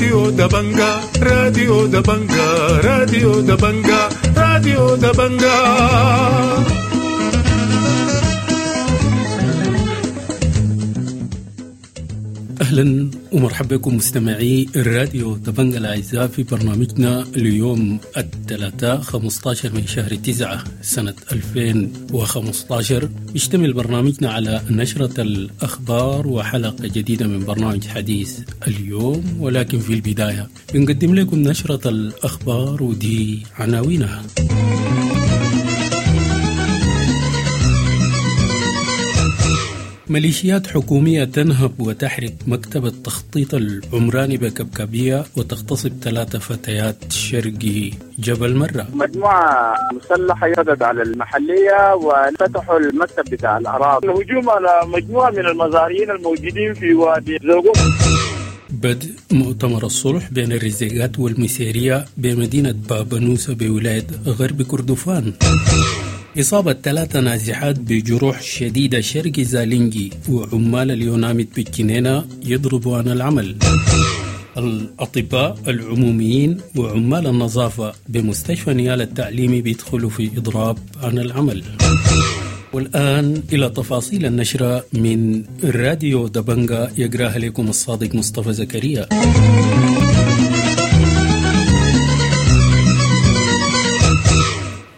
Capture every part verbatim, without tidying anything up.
راديو دبنجا راديو دبنجا راديو دبنجا راديو دبنجا. أهلا ومرحبا بكم مستمعي الراديو دبنجا الأعزاء في برنامجنا اليوم الثلاثاء خمسة عشر من شهر تسعة سنة ألفين وخمسة عشر. يشتمل برنامجنا على نشرة الأخبار وحلقة جديدة من برنامج حديث اليوم، ولكن في البداية بنقدم لكم نشرة الأخبار ودي عناوينها. ميليشيات حكومية تنهب وتحرق مكتب التخطيط العمراني بكبكبية وتغتصب ثلاثة فتيات شرقي جبل مرة. مجموعة مسلحة يردت على المحلية وفتحوا المكتب بتاع الأراضي. الهجوم على مجموعة من المزارعين الموجودين في وادي زوغو. بدء مؤتمر الصلح بين الرزيقات والمسيرية بمدينة بابنوسة بولاية غرب كردفان. إصابة ثلاثة نازحات بجروح شديدة شرق زالينجي وعمال اليوناميد بالجنينة يضربوا عن العمل. الأطباء العموميين وعمال النظافة بمستشفى نيال التعليمي بيدخلوا في إضراب عن العمل. والآن إلى تفاصيل النشرة من راديو دبنجا يقراها لكم الصادق مصطفى زكريا.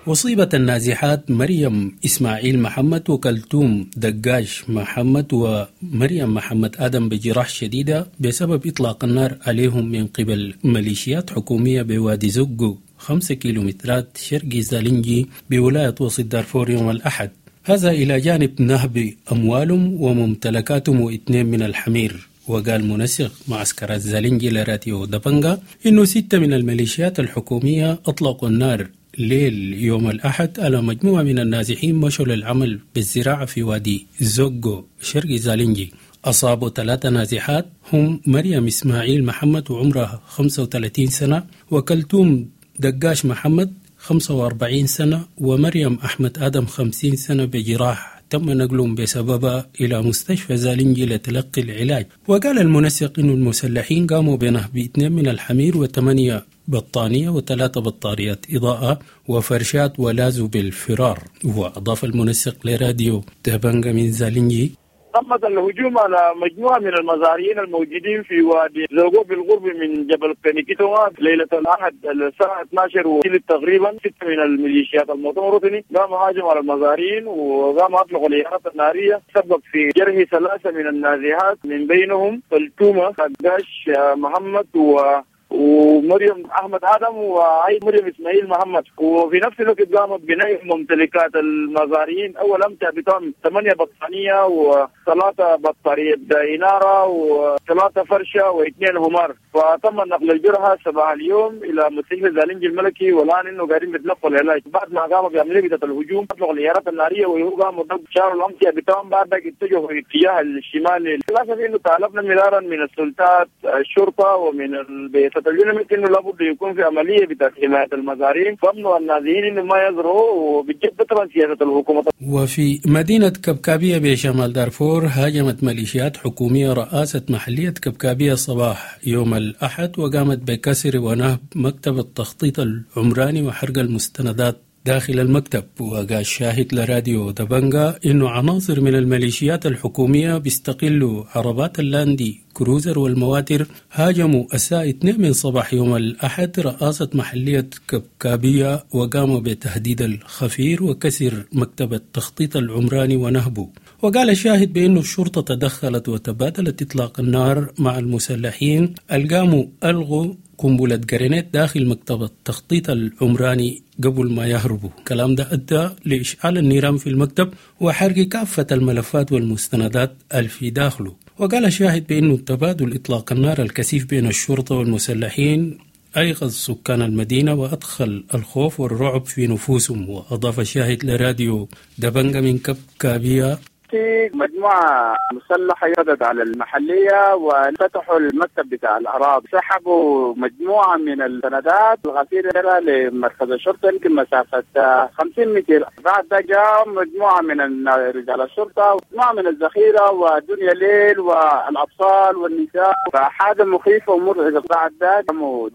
أصيبت النازحات مريم إسماعيل محمد وكلثوم دقاش محمد ومريم محمد آدم بجراح شديدة بسبب إطلاق النار عليهم من قبل ميليشيات حكومية بوادي زقو خمسة كيلومترات شرق زالنجي بولاية وسط دارفور يوم الأحد. هذا إلى جانب نهب أموالهم وممتلكاتهم واثنين من الحمير. وقال منسق معسكر الزالنجي لراديو دبنجا إنه ستة من الميليشيات الحكومية أطلقوا النار ليل يوم الأحد على مجموعة من النازحين مشوا للعمل بالزراعة في وادي زوغو شرق زالنجي. أصابوا ثلاثة نازحات هم مريم إسماعيل محمد وعمرها خمسة وثلاثين سنة، وكلثوم دقاش محمد خمسة وأربعين سنة، ومريم أحمد آدم خمسين سنة بجراح تم نقلهم بسببها إلى مستشفى زالنجي لتلقي العلاج. وقال المنسق إن المسلحين قاموا بنهب اثنين من الحمير وثمانية بطانية وثلاثة بطاريات إضاءة وفرشات ولازوا بالفرار. وأضاف المنسق لراديو دبنجا من زالنجي: تمت الهجوم على مجموعة من المزارعين الموجودين في وادي زوغو بالقرب من جبل كنيكيتوا ليلة الأحد الساعة اثنا عشر وثلث تقريبا. ستة من الميليشيات المؤتمر الوطني قاموا هاجموا على المزارعين وقاموا أطلقوا الإيرات النارية، سبب في جرح ثلاثة من النازحات من بينهم فلتومة داش محمد و ومريم أحمد آدم وعيد مريم إسماعيل محمد. وفي نفس الوقت قامت بناء ممتلكات المزارعين. أول أمتع بتاعهم ثمانية بطانية وثلاثة بطارية إنارة وثلاثة فرشة واثنين همار. فتم نقل الجرحى صباح اليوم إلى مستشفى زالنجي الملكي، والآن إنه قاعدين بيتلقوا العلاج. بعد ما قاموا بعملية الهجوم أطلقوا الإيرات النارية وقاموا شاروا الأمتعة بتاعهم، بعد اتجهوا في اتجاه الشمال. للأسف إنه طالبنا مرارا من السلطات الشرطة ومن البيت اليوناميد انه لابد يكون في عمليه بتاعت حمايه المزارعين وامنوا النازحين انه ما يزرعوا، وبجد طبعا سياسه الحكومه. وفي مدينه كبكابيه بشمال دارفور هاجمت ميليشيات حكوميه رئاسه محليه كبكابيه صباح يوم الاحد وقامت بكسر ونهب مكتب التخطيط العمراني وحرق المستندات داخل المكتب. وقال شاهد لراديو دبنجا إنه عناصر من الميليشيات الحكومية بيستقلوا عربات اللاندي كروزر والمواتر هاجموا الساعة اثنين من صباح يوم الأحد رئاسة محلية كبكابية وقاموا بتهديد الخفير وكسر مكتب التخطيط العمراني ونهبه. وقال الشاهد بأنه الشرطة تدخلت وتبادلت إطلاق النار مع المسلحين القاموا ألغوا قنبلة جرينيت داخل مكتب التخطيط العمراني قبل ما يهربوا. الكلام ده أدى لإشعال النيران في المكتب وحرق كافة الملفات والمستندات الفي داخله. وقال الشاهد بأنه تبادل إطلاق النار الكثيف بين الشرطة والمسلحين أيقظ سكان المدينة وأدخل الخوف والرعب في نفوسهم. وأضاف الشاهد لراديو دبنجا من كبكابية: في مجموعة مسلحة ردت على المحلية وفتحوا المكتب بتاع الأراضي، سحبوا مجموعة من السندات الغفيرة لمركز الشرطة يمكن مسافة خمسين متر. بعد ده جاء مجموعة من رجال الشرطة ومجموعة من الذخيرة والدنيا ليل والأطفال والنساء، فحاجة مخيفة ومرعبة. بعد ده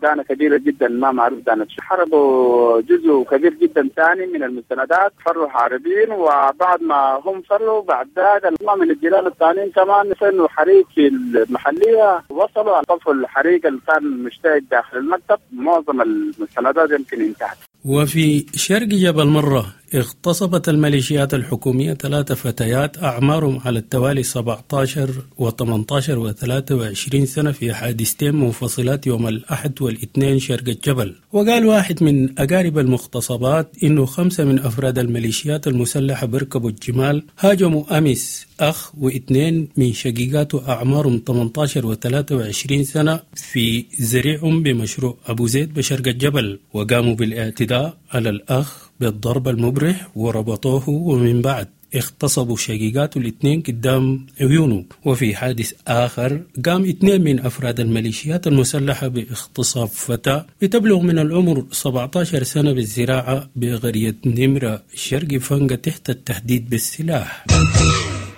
دانة كبيرة جدا ما معروف دانة، حرقوا جزء كبير جدا ثاني من المستندات، فروا هاربين. وبعد ما هم فروا بعد ذاك من الجيران الثانيين كمان سنوا حريق في المحلية، وصلوا طفوا الحريق اللي كان مشتعل داخل المكتب، معظم المستندات يمكن انتهت. وفي شرق جبل مرة اغتصبت الميليشيات الحكومية ثلاث فتيات أعمارهم على التوالي سبعة عشر وثمانية عشر وثلاثة وعشرين سنة في حادثتين منفصلات يوم الأحد والاثنين شرق الجبل. وقال واحد من أقارب المغتصبات إنه خمسة من أفراد الميليشيات المسلحة بركبوا الجمال هاجموا أمس أخ واثنين من شقيقاته أعمارهم ثمانية عشر وثلاثة وعشرين سنة في زريعهم بمشروع أبو زيد بشرق الجبل، وقاموا بالاعتداء على الأخ بالضرب المبرح وربطوه، ومن بعد اغتصبوا شقيقاته الاثنين قدام عيونه. وفي حادث آخر قام اثنين من أفراد الميليشيات المسلحة باغتصاب فتاة بتبلغ من العمر سبعة عشر سنة بالزراعة بقرية نمرة شرق فنقة تحت التهديد بالسلاح.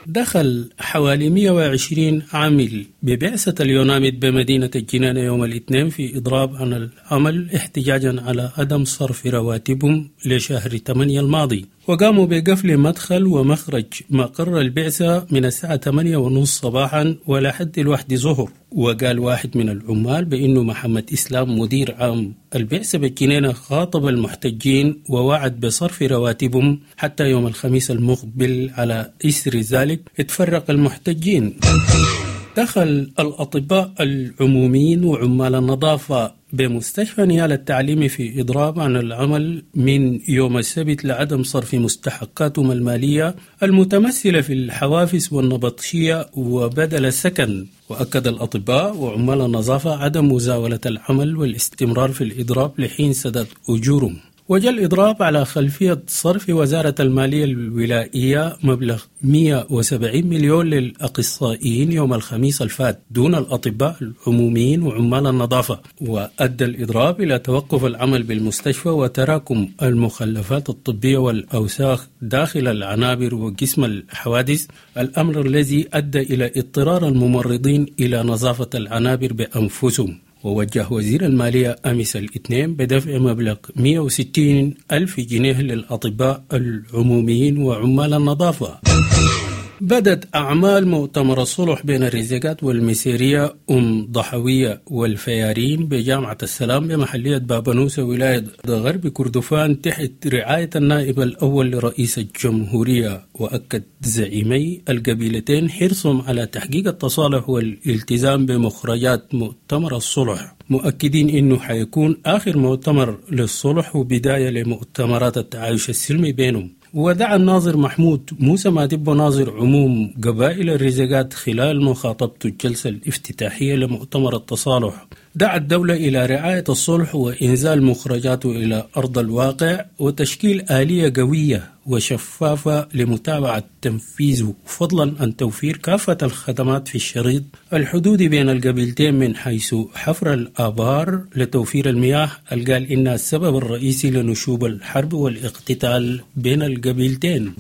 دخل حوالي مئة وعشرين عامل ببعثة اليوناميد بمدينة الجنانة يوم الاثنين في إضراب عن العمل احتجاجا على عدم صرف رواتبهم لشهر ثمانية الماضي، وقاموا بقفل مدخل ومخرج مقر البعثة من الساعة ثمانية ونص صباحا ولحد الواحد ظهر. وقال واحد من العمال بأنه محمد إسلام مدير عام البعثة بالجنينة خاطب المحتجين ووعد بصرف رواتبهم حتى يوم الخميس المقبل. على إثر ذلك اتفرق المحتجين. دخل الأطباء العموميين وعمال النظافة بمستشفى نيال التعليمي في إضراب عن العمل من يوم السبت لعدم صرف مستحقاتهم المالية المتمثلة في الحوافز والنبطشية وبدل السكن. وأكد الأطباء وعمال النظافة عدم مزاولة العمل والاستمرار في الإضراب لحين سداد أجورهم. وجاء الإضراب على خلفية صرف وزارة المالية الولائية مبلغ مئة وسبعين مليون للأخصائيين يوم الخميس الفات دون الأطباء العموميين وعمال النظافة. وأدى الإضراب إلى توقف العمل بالمستشفى وتراكم المخلفات الطبية والأوساخ داخل العنابر وقسم الحوادث، الأمر الذي أدى إلى اضطرار الممرضين إلى نظافة العنابر بأنفسهم. ووجه وزير المالية أمس الاثنين بدفع مبلغ مئة وستين ألف جنيه للأطباء العموميين وعمال النظافة. بدت أعمال مؤتمر الصلح بين الرزيقات والمسيرية أم ضحوية والفيارين بجامعة السلام بمحلية بابنوسة ولاية غرب كردفان تحت رعاية النائب الأول لرئيس الجمهورية. وأكد زعيمي القبيلتين حرصهم على تحقيق التصالح والالتزام بمخرجات مؤتمر الصلح، مؤكدين إنه حيكون آخر مؤتمر للصلح وبداية لمؤتمرات التعايش السلمي بينهم. ودعا الناظر محمود موسى مادبو ناظر عموم قبائل الرزقات خلال مخاطبته الجلسة الافتتاحية لمؤتمر التصالح، دعا الدولة إلى رعاية الصلح وإنزال مخرجاته إلى أرض الواقع وتشكيل آلية قوية وشفافة لمتابعة تنفيذه، فضلا عن توفير كافة الخدمات في الشريط الحدودي بين القبيلتين من حيث حفر الآبار لتوفير المياه، قال إنها السبب الرئيسي لنشوب الحرب والاقتتال بين القبيلتين.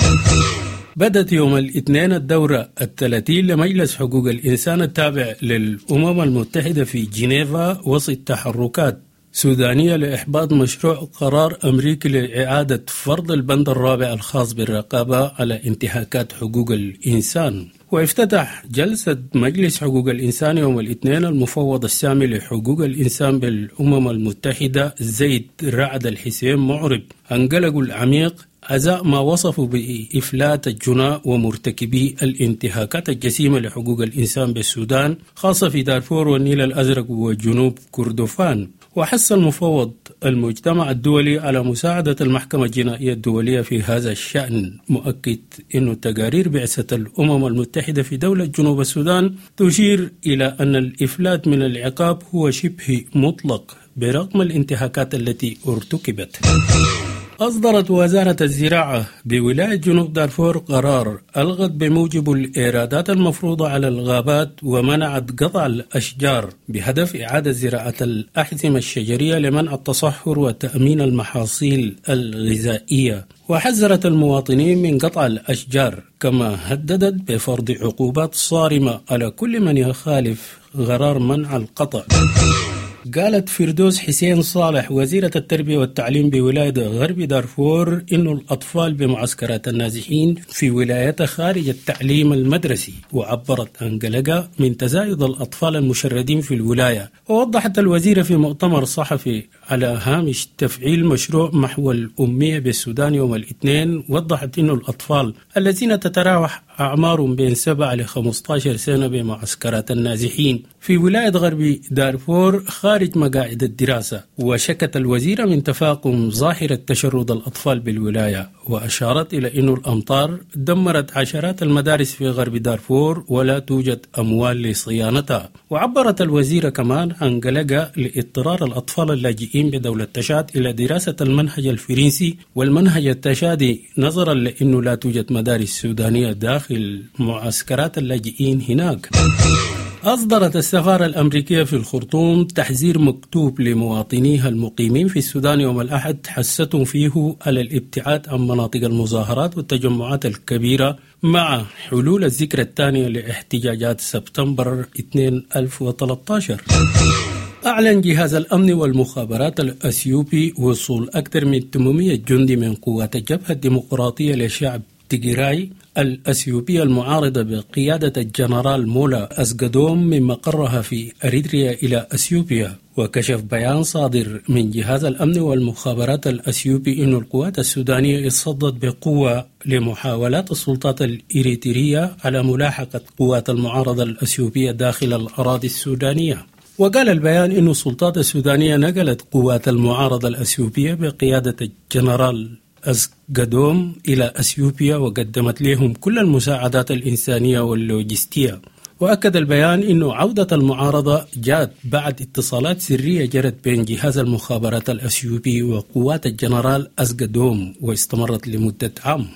بدت يوم الاثنين الدورة الثلاثين لمجلس حقوق الإنسان التابع للأمم المتحدة في جنيفا وسط تحركات سودانية لإحباط مشروع قرار أمريكي لإعادة فرض البند الرابع الخاص بالرقابة على انتهاكات حقوق الإنسان. وافتتح جلسة مجلس حقوق الإنسان يوم الاثنين المفوض السامي لحقوق الإنسان بالأمم المتحدة زيد رعد الحسين معرب عن قلقه العميق أزاء ما وصفوا بإفلات الجناء ومرتكبي الانتهاكات الجسيمة لحقوق الإنسان بالسودان، خاصة في دارفور والنيل الأزرق وجنوب كردفان. وحث المفوض المجتمع الدولي على مساعدة المحكمة الجنائية الدولية في هذا الشأن، مؤكد أن تقارير بعثة الأمم المتحدة في دولة جنوب السودان تشير إلى أن الإفلات من العقاب هو شبه مطلق برغم الانتهاكات التي ارتكبت. أصدرت وزارة الزراعة بولاية جنوب دارفور قرار ألغت بموجب الإيرادات المفروضة على الغابات ومنعت قطع الأشجار بهدف إعادة زراعة الأحزمة الشجرية لمنع التصحر وتأمين المحاصيل الغذائية. وحذرت المواطنين من قطع الأشجار، كما هددت بفرض عقوبات صارمة على كل من يخالف قرار منع القطع. قالت فردوس حسين صالح وزيرة التربية والتعليم بولاية غرب دارفور إن الأطفال بمعسكرات النازحين في ولايتها خارج التعليم المدرسي، وعبرت عن قلقها من تزايد الأطفال المشردين في الولاية. ووضحت الوزيرة في مؤتمر صحفي على هامش تفعيل مشروع محو الأمية بالسودان يوم الاثنين، وضحت إن الأطفال الذين تتراوح أعمارهم بين سبعة ل خمسة عشر سنة بمعسكرات النازحين في ولاية غرب دارفور خارج مقاعد الدراسة. وشكت الوزيرة من تفاقم ظاهرة تشرد الأطفال بالولاية، وأشارت إلى أن الأمطار دمرت عشرات المدارس في غرب دارفور ولا توجد أموال لصيانتها. وعبرت الوزيرة كمان عن قلقها لاضطرار الأطفال اللاجئين بدولة تشاد إلى دراسة المنهج الفرنسي والمنهج التشادي، نظرا لأنه لا توجد مدارس سودانية داخل معسكرات اللاجئين هناك. أصدرت السفارة الأمريكية في الخرطوم تحذير مكتوب لمواطنيها المقيمين في السودان يوم الأحد، حثتهم فيه على الابتعاد عن مناطق المظاهرات والتجمعات الكبيرة مع حلول الذكرى الثانية لاحتجاجات سبتمبر ألفين وثلاثة عشر. أعلن جهاز الأمن والمخابرات الأثيوبي وصول أكثر من ثمانمئة جندي من قوات الجبهة الديمقراطية لشعب تيغراي الأثيوبية المعارضة بقيادة الجنرال مولا أسقدوم من مقرها في أريتريا إلى أثيوبيا. وكشف بيان صادر من جهاز الأمن والمخابرات الأثيوبي أن القوات السودانية اتصدت بقوة لمحاولات السلطات الإريترية على ملاحقة قوات المعارضة الأثيوبية داخل الأراضي السودانية. وقال البيان أن السلطات السودانية نقلت قوات المعارضة الأثيوبية بقيادة الجنرال أسقدوم إلى أثيوبيا وقدمت لهم كل المساعدات الإنسانية واللوجستية. وأكد البيان أن عودة المعارضة جاءت بعد اتصالات سرية جرت بين جهاز المخابرات الأثيوبي وقوات الجنرال أسقدوم واستمرت لمدة عام.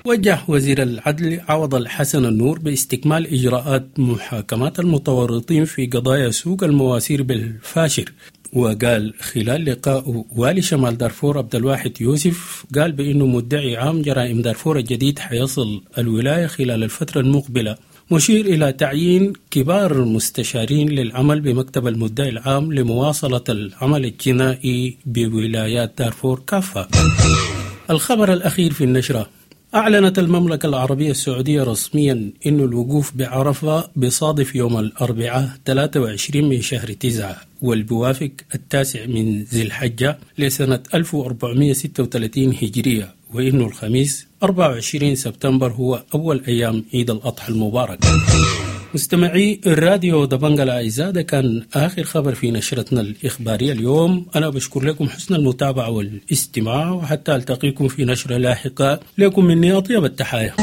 وجه وزير العدل عوض الحسن النور باستكمال إجراءات محاكمات المتورطين في قضايا سوق المواسير بالفاشر. وقال خلال لقاء والي شمال دارفور عبد الواحد يوسف، قال بأنه مدعي عام جرائم دارفور الجديد حيصل الولاية خلال الفترة المقبلة، مشير إلى تعيين كبار المستشارين للعمل بمكتب المدعي العام لمواصلة العمل الجنائي بولايات دارفور كافة. الخبر الأخير في النشرة: أعلنت المملكة العربية السعودية رسميا أن الوقوف بعرفة بصادف يوم الأربعاء ثلاثة وعشرين من شهر تسعة والبوافق التاسع من ذي الحجة لسنة ألف وأربعمئة وستة وثلاثين هجرية، وإنه الخميس أربعة وعشرين سبتمبر هو أول أيام عيد الأضحى المبارك. مستمعي الراديو دبنجا الأعزاء، ده كان آخر خبر في نشرتنا الإخبارية اليوم. أنا بشكر لكم حسن المتابعة والاستماع، وحتى ألتقيكم في نشرة لاحقة. لكم مني أطيب التحايا.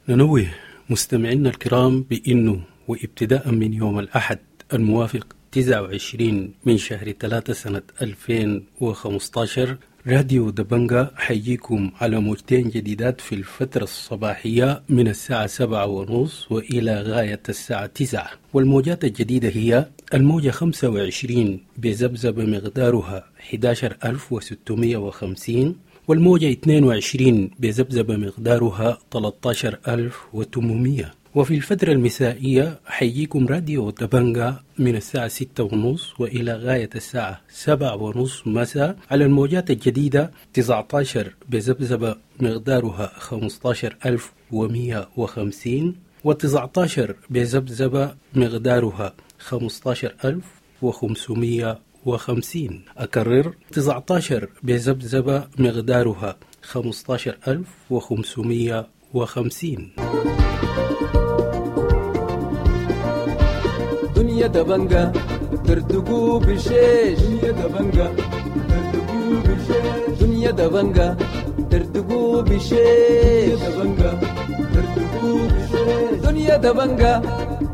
ننوه مستمعينا الكرام بأنه وابتداء من يوم الأحد الموافق تسعة وعشرين من شهر ثلاثة سنة ألفين وخمسة عشر، راديو دبنجا حيجيكم على موجتين جديدات في الفترة الصباحية من الساعة سبعة ونص وإلى غاية الساعة تسعة. والموجات الجديدة هي الموجة خمسة وعشرين بذبذبة مقدارها أحد عشر ألف وستمئة وخمسين، والموجة اثنين وعشرين بذبذبة مقدارها ثلاثة عشر ألف وثمانمئة. وفي الفترة المسائية حيجيكم راديو دبنجا من الساعة ستة ونص وإلى غاية الساعة سبعة ونص مساء على الموجات الجديدة تسعة عشر بذبذبة مقدارها خمسة عشر ألف ومئة وخمسين، وتسعة عشر بذبذبة مقدارها خمسة عشر ألف وخمسمئة وخمسين. أكرر، تسعة عشر بذبذبة مقدارها خمسة عشر ألف وخمسمئة وخمسين. دنيا دبنجا ترتقو بشيش، دنيا دبنجا ترتقو بشيش، دنيا دبنجا ترتقو بشيش، دنيا دبنجا ترتقو بشيش، دنيا دبنجا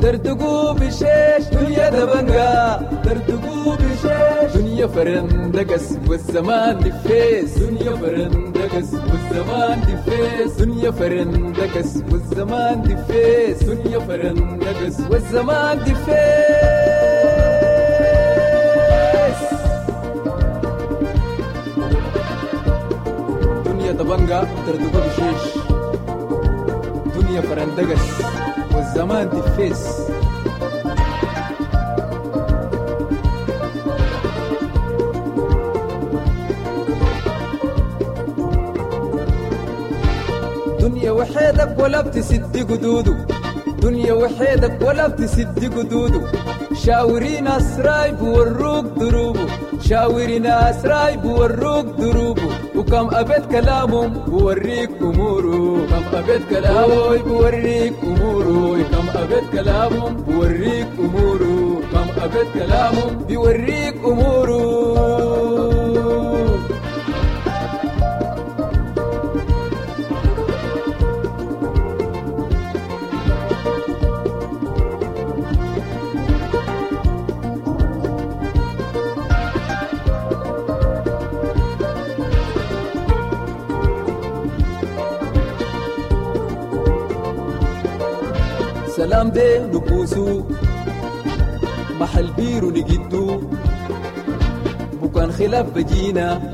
دردقوا بشيش دنيا دبنجا دردقوا بشيش دنيا فرندقس والزمان دفيس دنيا فرندقس والزمان دفيس دنيا فرندقس والزمان دفيس دنيا فرندقس والزمان دفيس. دنيا دبنجا دردقوا بشيش دنيا فرندقس والزمان دفيس. دنيا وحيدك ولا بتسد قدوده دنيا وحيدك ولا بتسد قدوده شاوري ناس رايب وروك دروبه شاوري ناس رايب وروك دروبه وكم أبيت كلامهم بوريك أموره كم أبيت كلامه بوريك أموره كم أبيت كلامهم بوريك أموره كم أبيت كلامهم بوريك أموره. سلام دي نبوسو محل بيرو نجدو بكان خلاف بجينا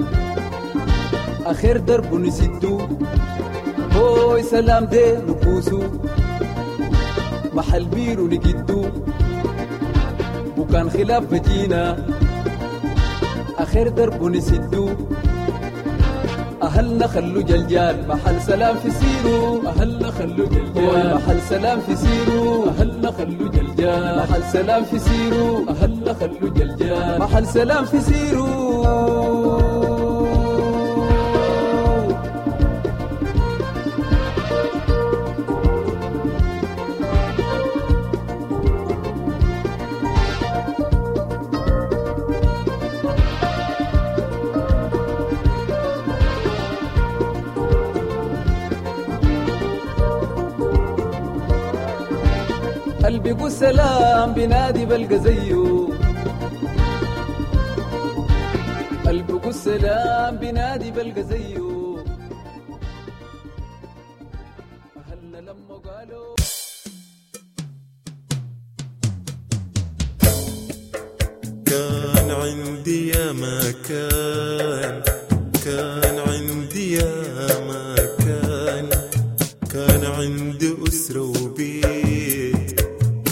آخر درب نسدو هوي سلام دي نبوسو محل بيرو نجدو بكان خلاف بجينا آخر درب نسدو أهلنا خلو جلجال محل سلام في سيرو أهلنا خلو جلجال محل سلام في سيرو أهلنا خلو جلجال محل سلام في سيرو أهلنا خلو جلجال محل سلام في سيرو. قلبي سلام بنادي بلقى زيه قلبي سلام بنادي بلقى زيه أهلنا لما قالوا كان عندي يا ما كان كان عندي يا ما كان كان عندي أسرة وبيت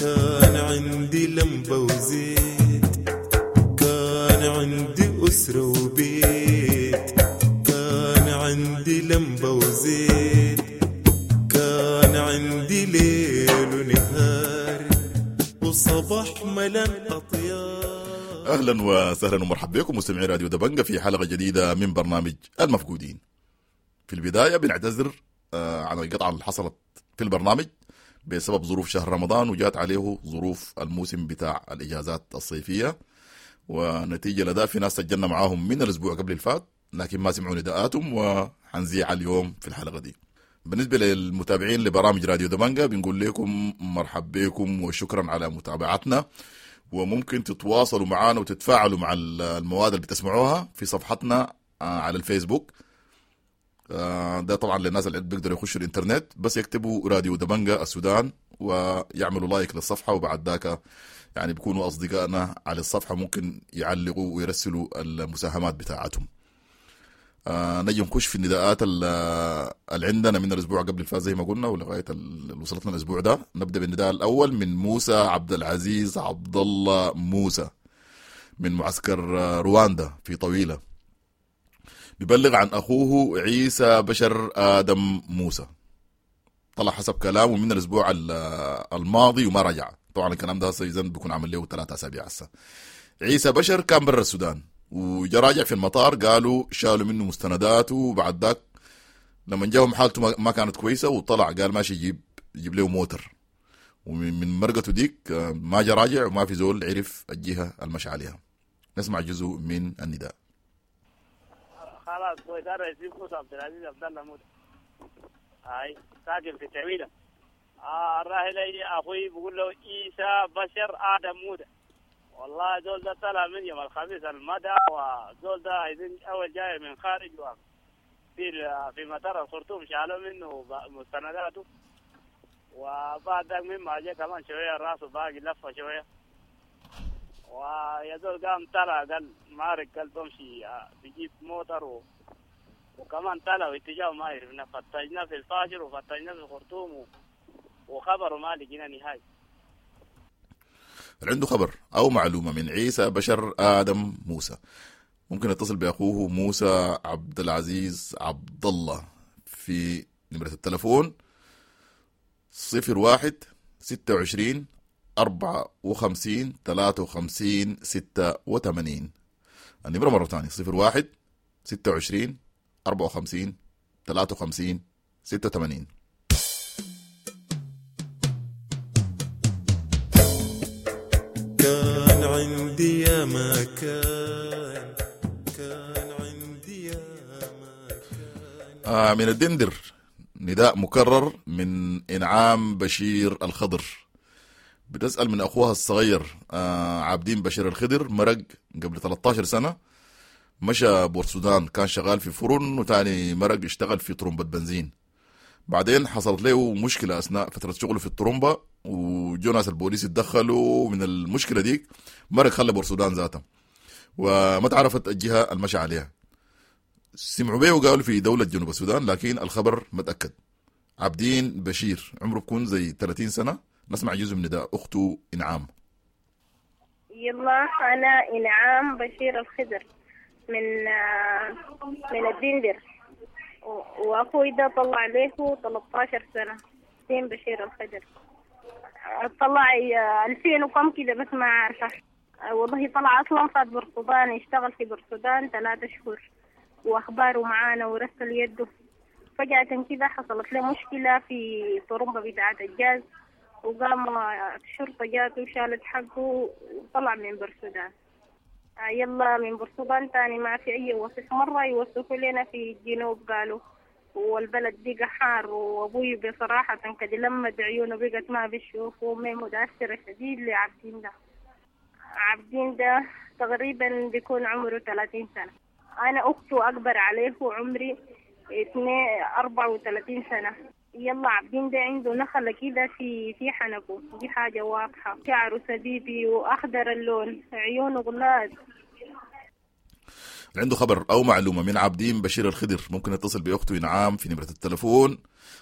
كان عندي لمبة وزيت كان عندي أسرة وبيت كان عندي لمبة وزيت كان عندي ليل ونهار وصباح ملان أطيار. أهلا وسهلا ومرحبا بكم مستمعي راديو دبنجة في حلقة جديدة من برنامج المفقودين. في البداية بنعتذر عن القطعة اللي حصلت في البرنامج بسبب ظروف شهر رمضان، وجات عليه ظروف الموسم بتاع الإجازات الصيفية، ونتيجة لذا في ناس سجلنا معاهم من الأسبوع قبل الفات لكن ما سمعوا نداءاتهم، وحنزيع اليوم في الحلقة دي. بالنسبة للمتابعين لبرامج راديو دبنجة بنقول لكم مرحب بكم وشكرا على متابعتنا، وممكن تتواصلوا معنا وتتفاعلوا مع المواد اللي بتسمعوها في صفحتنا على الفيسبوك. ده طبعا للناس اللي بيقدروا يخشوا الانترنت، بس يكتبوا راديو دبنجة السودان ويعملوا like للصفحة، وبعد ذاك يعني بيكونوا أصدقائنا على الصفحة، ممكن يعلقوا ويرسلوا المساهمات بتاعتهم. آه نجي نخش في النداءات اللي عندنا من الأسبوع قبل الفات زي ما قلنا ولغاية اللي وصلتنا الأسبوع ده. نبدأ بالنداء الأول من موسى عبد العزيز عبد الله موسى من معسكر رواندا في طويلة، بيبلغ عن أخوه عيسى بشر آدم موسى، طلع حسب كلامه من الأسبوع الماضي وما رجع. طبعا الكلام ده هسه بيكون عمل له ثلاثة أسابيع هسه. عيسى بشر كان برا السودان وجا راجع في المطار، قالوا شالوا منه مستنداته، وبعد ذاك لما جاهم حالته ما كانت كويسة وطلع قال ماشي يجيب يجيب له موتر، ومن مرقته ديك ما جا راجع وما في زول عرف الجهة المشى عليها. نسمع جزء من النداء. خلاص كويس، انا اسمي موسى عبد العزيز عبد الله موسى، هاي ساكن في تعويله، آه الراحل أخوي بقول له عيسى بشر آدم مودة. والله زول ده طلع من يوم الخميس المدى، وزول ده عايزين أول جاي من خارج في في مطار الخرطوم شالوا منه مستنداته، وبعد ذاك مما جاء كمان شوية راسه باقي لفة شوية، ويا زول قام طلع قال مارك قال بمشي بيجيب موتر و... وكمان طلع واتجاهه ما عرفنا، فتشنا في الفاشر وفتشنا في الخرطوم و... وخبره ما لقينا نهائي. اللي عنده خبر أو معلومة من عيسى بشر آدم موسى ممكن يتصل بأخوه موسى عبد العزيز عبد الله في نمرة التلفون صفر واحد ستة وعشرين أربعة وخمسين ثلاثة وخمسين ستة وثمانين. النمرة مرة ثانية صفر واحد ستة وعشرين أربعة وخمسين ثلاثة وخمسين ستة وثمانين. كان عندي يا ما كان، كان عندي يا ما كان. آه من الدندر نداء مكرر من إنعام بشير الخضر، بتسأل من أخوها الصغير آه عابدين بشير الخضر، مرق قبل ثلاثة عشر سنة، مشى بورسودان، كان شغال في فرن وتاني مرق اشتغل في طرمبة بنزين. بعدين حصلت له مشكلة أثناء فترة شغله في الطرمبة، وجو ناس البوليس اتدخلوا من المشكلة ديك، مرق خلى بورسودان ذاتها وما تعرفت الجهة المشى عليها. سمعوا بيه وقالوا في دولة جنوب السودان، لكن الخبر ما تأكد. عابدين بشير عمره بكون زي ثلاثين سنة. نسمع جزء من نداء أخته إنعام. يلا أنا إنعام بشير الخضر من من الدندر، وأخوي ده طلع له ثلاثة عشر سنة، دين بشير الخضر طلع ألفين وكم كده بس ما عارفة والله. طلع أصلا فات بورسودان، اشتغل في بورسودان ثلاثة شهور وأخباره معانا ورسل يده. فجأة كده حصلت له مشكلة في طرمبة بتاعة الجاز، وقام الشرطة جاته وشالت حقه وطلع من بورسودان. يلا من بورسودان تاني ما في أي وصف، مرة يوصفوا لنا في الجنوب قالوا والبلد بقى حار، وأبوي بصراحة كده لما عيونه بقت ما بيشوف، وأمي متأثرة شديد لعبدين ده. عبدين ده تقريبا بيكون عمره ثلاثين سنة، أنا أخته أكبر عليه وعمري اثنين أربعة وثلاثين سنة. يلا عبدين ده عنده نخلة كده في في حنكه، دي حاجة واضحة، شعره سبيبي وأخضر اللون، عيونه غلاد. عنده خبر أو معلومة من عابدين بشير الخضر ممكن يتصل بأخته إنعام في نمرة التلفون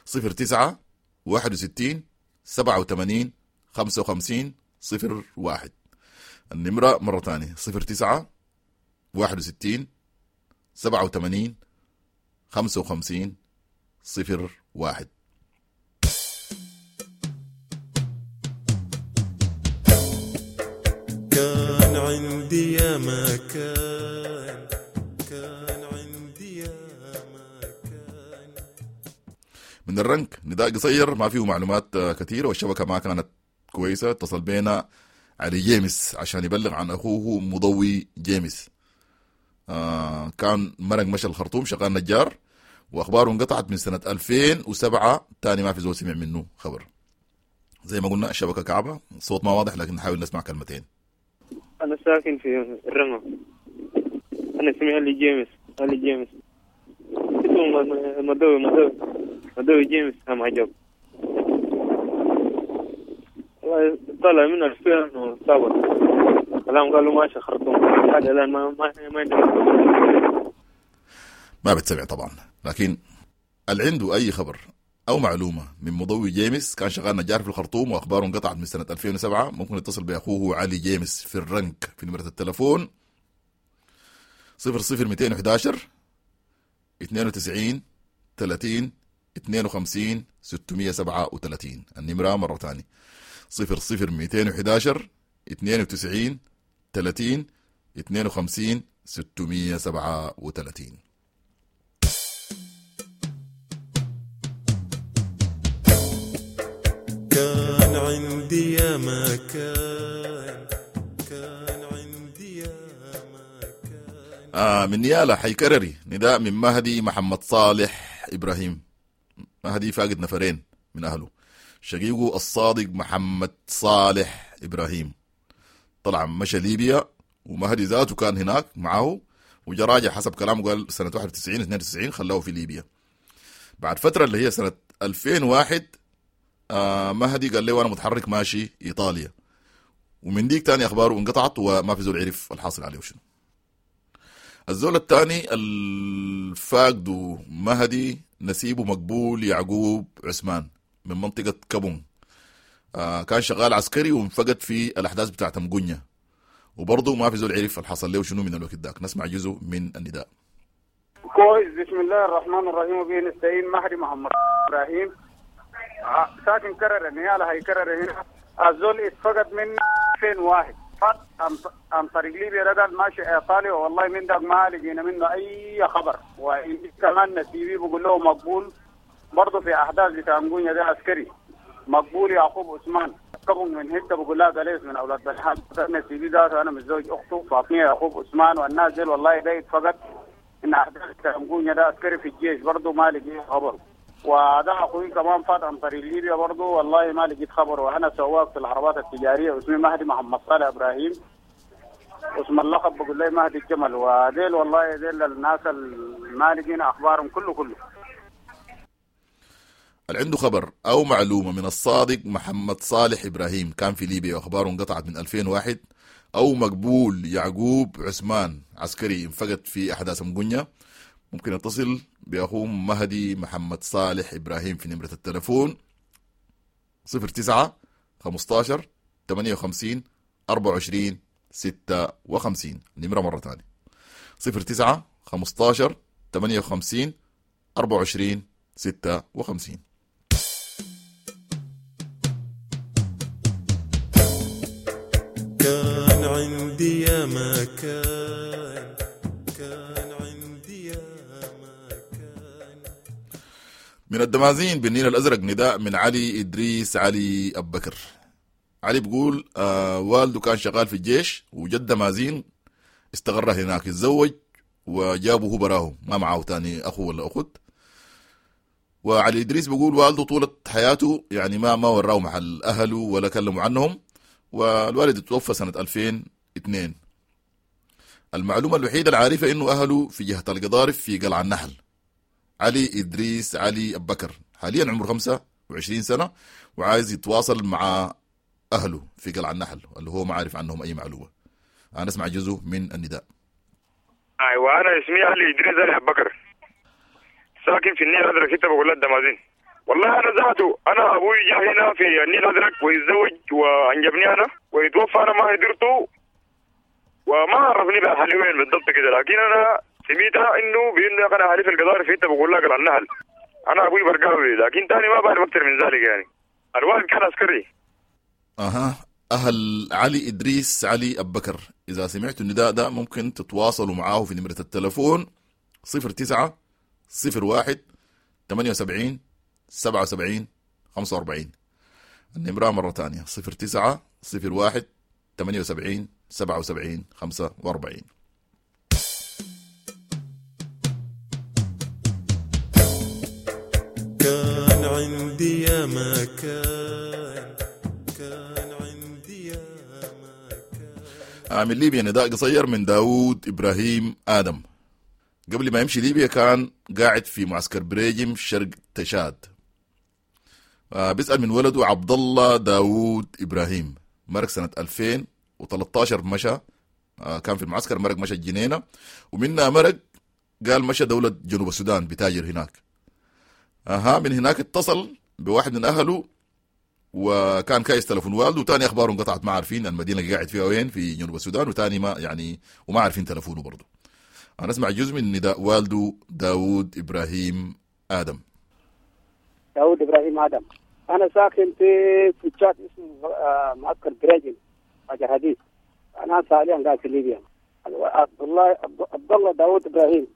صفر تسعة واحد وستين سبعة وثمانين خمسة وخمسين صفر واحد. النمرة مرة ثانية صفر تسعة واحد وستين سبعة وثمانين خمسة وخمسين صفر واحد. كان عندي يا ما كان، كان عندي يا ما كان. من الرنك نداء قصير ما فيه معلومات كثيرة والشبكة ما كانت كويسة. اتصل بينا علي جيمس عشان يبلغ عن أخوه مضوي جيمس. آه كان مرق مشى الخرطوم شغال نجار، وأخباره انقطعت من سنة ألفين وسبعة، تاني ما في زول سمع منه خبر. زي ما قلنا الشبكة كعبة، الصوت ما واضح لكن نحاول نسمع كلمتين. أنا ساكن في الرمى، أنا اسمي علي جيمس، علي جيمس اسمه مدوي مدوي مدوي جيمس. هم عجب والله، طلع من ألفين وسبعة كلام قالوا ماشي خرطوم، هذا الآن ما ما ما ما بتسمع طبعا. لكن اللي عنده أي خبر أو معلومة من مضوي جيمس، كان شغال نجار في الخرطوم وأخباره انقطعت من سنة ألفين وسبعة، ممكن يتصل بأخوه علي جيمس في الرنك في نمرة التلفون صفر صفر مئتين وأحد عشر اثنين وتسعين ثلاثين اثنين وخمسين ستمية سبعة وثلاثين. النمرة مرة ثانية صفر صفر مئتين وأحد عشر اثنين وتسعين ثلاثين اثنين وخمسين ستمية سبعة وثلاثين. كان عندي يا ما كان، كان عندي يا ما كان. آه من نيالا حيكرري نداء من مهدي محمد صالح إبراهيم. مهدي فاقد نفرين من أهله، شقيقه الصادق محمد صالح إبراهيم. طلع مشى ليبيا، ومهدي ذاته كان هناك معه، وجا راجع حسب كلامه قال سنة واحد وتسعين اثنين وتسعين خلاه في ليبيا. بعد فترة اللي هي سنة ألفين وواحد آه مهدي قال له أنا متحرك ماشي إيطاليا، ومن ديك تاني أخباره انقطعت وما في زول عرف الحاصل عليه شنو. الزول الثاني الفاقد مهدي نسيبه مقبول يعقوب عثمان من منطقة كابون، آه كان شغال عسكري وانفقد في الأحداث بتاعت مقنية، وبرضه ما في زول عرف الحصل له شنو من الوقت داك. نسمع جزء من النداء. كويس. بسم الله الرحمن الرحيم وبه نستعين. مهدي محمد إبراهيم ساكن كرر النيالة، هي كرر هنا. الزول اتفقد من ألفين وواحد فات عن طريق ليبيا، رجل ماشي ايطاليا، والله من داك ما لقينا منه اي خبر. وكمان نسيبي بقول له مقبول برضه في احداث بتاع مقونيا ده عسكري مقبول يعقوب عثمان كبن من هته بقول لها قليس من اولاد بلحان نسيبي ذاته، انا متزوج اخته فاطمة يعقوب عثمان، والناس ديل والله ده اتفقد ان احداث بتاع مقونيا ده عسكري في الجيش برضه ما لقينا خبر. وده اخوي كمان فات عن طريق ليبيا برضه والله ما لقيت خبر. وانا سواق في العربات التجارية اسمي مهدي محمد صالح ابراهيم، اسم اللقب بقول لي مهدي الجمل. وديل والله ديل الناس ما لقينا اخبارهم كله كله. اللي عنده خبر او معلومة من الصادق محمد صالح ابراهيم كان في ليبيا واخباره انقطعت من ألفين وواحد، او مقبول يعقوب عثمان عسكري انفقد في احداث مقنية، ممكن يتصل بأخوه مهدي محمد صالح إبراهيم في نمرة التلفون صفر تسعة خمستاشر ثمانية وخمسين أربعة وعشرين ستة وخمسين. النمرة مرة تانية صفر تسعة خمستاشر ثمانية وخمسين أربعة وعشرين ستة وخمسين. كان عندي يا مكان، كان عندي يا مكان. من الدمازين بالنيل الأزرق نداء من علي إدريس علي أبكر. علي بيقول آه والده كان شغال في الجيش وجد دمازين استقر هناك، اتزوج وجابه هو براه، ما معه تاني أخو ولا أخت. وعلي إدريس بيقول والده طولة حياته يعني ما ما وراه محل أهله ولا كلموا عنهم، والوالد توفى سنة ألفين واثنين. المعلومة الوحيدة العارفة إنه أهله في جهة القضارف في قلعة النحل. علي إدريس علي أبكر حاليا عمره خمسة وعشرين سنة وعايز يتواصل مع أهله في قلعة النحل اللي هو ما عارف عنهم أي معلومة. أنا أسمع جزء من النداء. أيوة، أنا اسمي علي إدريس علي أبكر، ساكن في النيل الأزرق، حتة بقول لها الدمازين. والله أنا ذاته أنا أبوي جاء هنا في النيل الأزرق ويتزوج وأنجبني أنا ويتوفى، أنا ما قدرته وما عرفني بأهلي وين بالضبط كده، لكن أنا سميتها إنه بإنه أنا أهلي في القضارف في حتة بقول لها قلعة النحل. أنا أبوي برقاوي، لكن تاني ما بعرف أكثر من ذلك يعني. الوالد كان عسكري. أها، أهل علي إدريس علي أبكر إذا سمعتوا النداء ده ممكن تتواصلوا معاه في نمرة التلفون صفر تسعة صفر واحد ثمانية وسبعين سبعة وسبعين خمسة وأربعين. النمرة مرة تانية صفر تسعة صفر واحد ثمانية وسبعين سبعة وسبعين خمسة وأربعين. كان عندي يا مكان، كان عندي يا مكان. من ليبيا نداء قصير من داود إبراهيم آدم. قبل ما يمشي ليبيا كان قاعد في معسكر بريجم شرق تشاد. بيسأل من ولده عبد الله داود إبراهيم، مرق سنة ألفين وثلاثة عشر مشى، كان في المعسكر، مرق مشى الجنينة، ومنها مرق قال مشى دولة جنوب السودان بتاجر هناك. أها، من هناك اتصل بواحد من أهله وكان كايس تلفون والده، وتاني أخباره انقطعت، ما عارفين المدينة اللي قاعد فيها وين في جنوب السودان، وتاني ما يعني وما عارفين تلفونه برضه. أنا أسمع جزء من نداء والده داود إبراهيم آدم. داود إبراهيم آدم، أنا ساكن في في تشاد اسمه معسكر بريجن حجر حديد. أنا حاليا قاعد في ليبيا. عبد الله عبد الله داود إبراهيم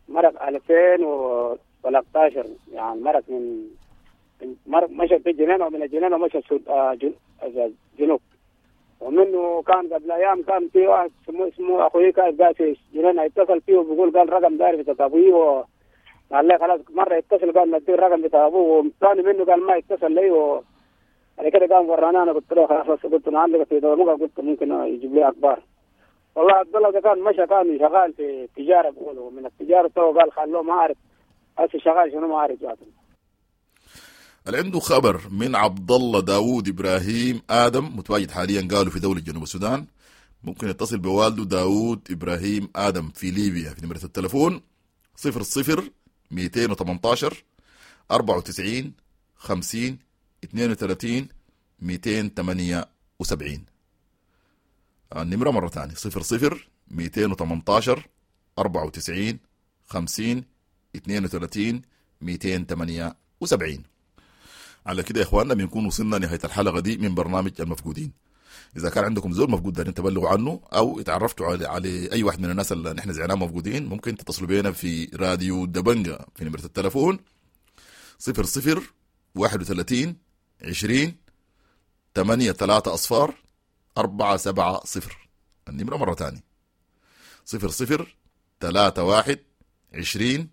مرق ألفين وثلاثة عشر، يعني مرق من مرق مشى في الجنينة، ومن الجنينة مشى الجنوب. ومنه كان قبل ايام كان في واحد اسمه اسمه اخوي كان قاعد في جنينة، اتصل فيه وبيقول قال رقم داير في ابوي و... قال لي خلاص مرة يتصل قال نديه الرقم بتاع ابوه، وثاني منه قال ما يتصل لي. و بعد كده قام ورانا، انا قلت له خلاص، قلت نعلق في دولة، قلت ممكن يجيب لي اخبار. والله عبد الله ده كان مشى، كان شغال في التجارة بيقولوا، من التجارة تو قال خلوه ما اعرف هسه شغال شنو ما اعرف ذاته. اللي عنده خبر من عبد الله داوود ابراهيم ادم متواجد حاليا قالوا في دولة جنوب السودان، ممكن يتصل بوالده داوود ابراهيم ادم في ليبيا في نمره التلفون صفر صفر مئتين وثمانتاشر أربعة وتسعين خمسين اثنين وثلاثين مئتين وثمانية وسبعين. النمرة مرة ثانية صفر صفر مئتين وثمانتاشر أربعة وتسعين خمسين اثنين وثلاثين مئتين وثمانية وسبعين. على كده يا إخواننا بنكون وصلنا نهاية الحلقة دي من برنامج المفقودين. إذا كان عندكم زول مفقود دارين تبلغوا عنه أو اتعرفتوا على, على أي واحد من الناس اللي نحن زعناهم مفقودين، ممكن تتصلوا بينا في راديو دبنجة في نمرة التلفون صفر صفر واحد وثلاثين عشرين ثمانية ثلاثة أصفار أربعة سبعة صفر. النمرة مرة تانية صفر صفر ثلاثة واحد عشرين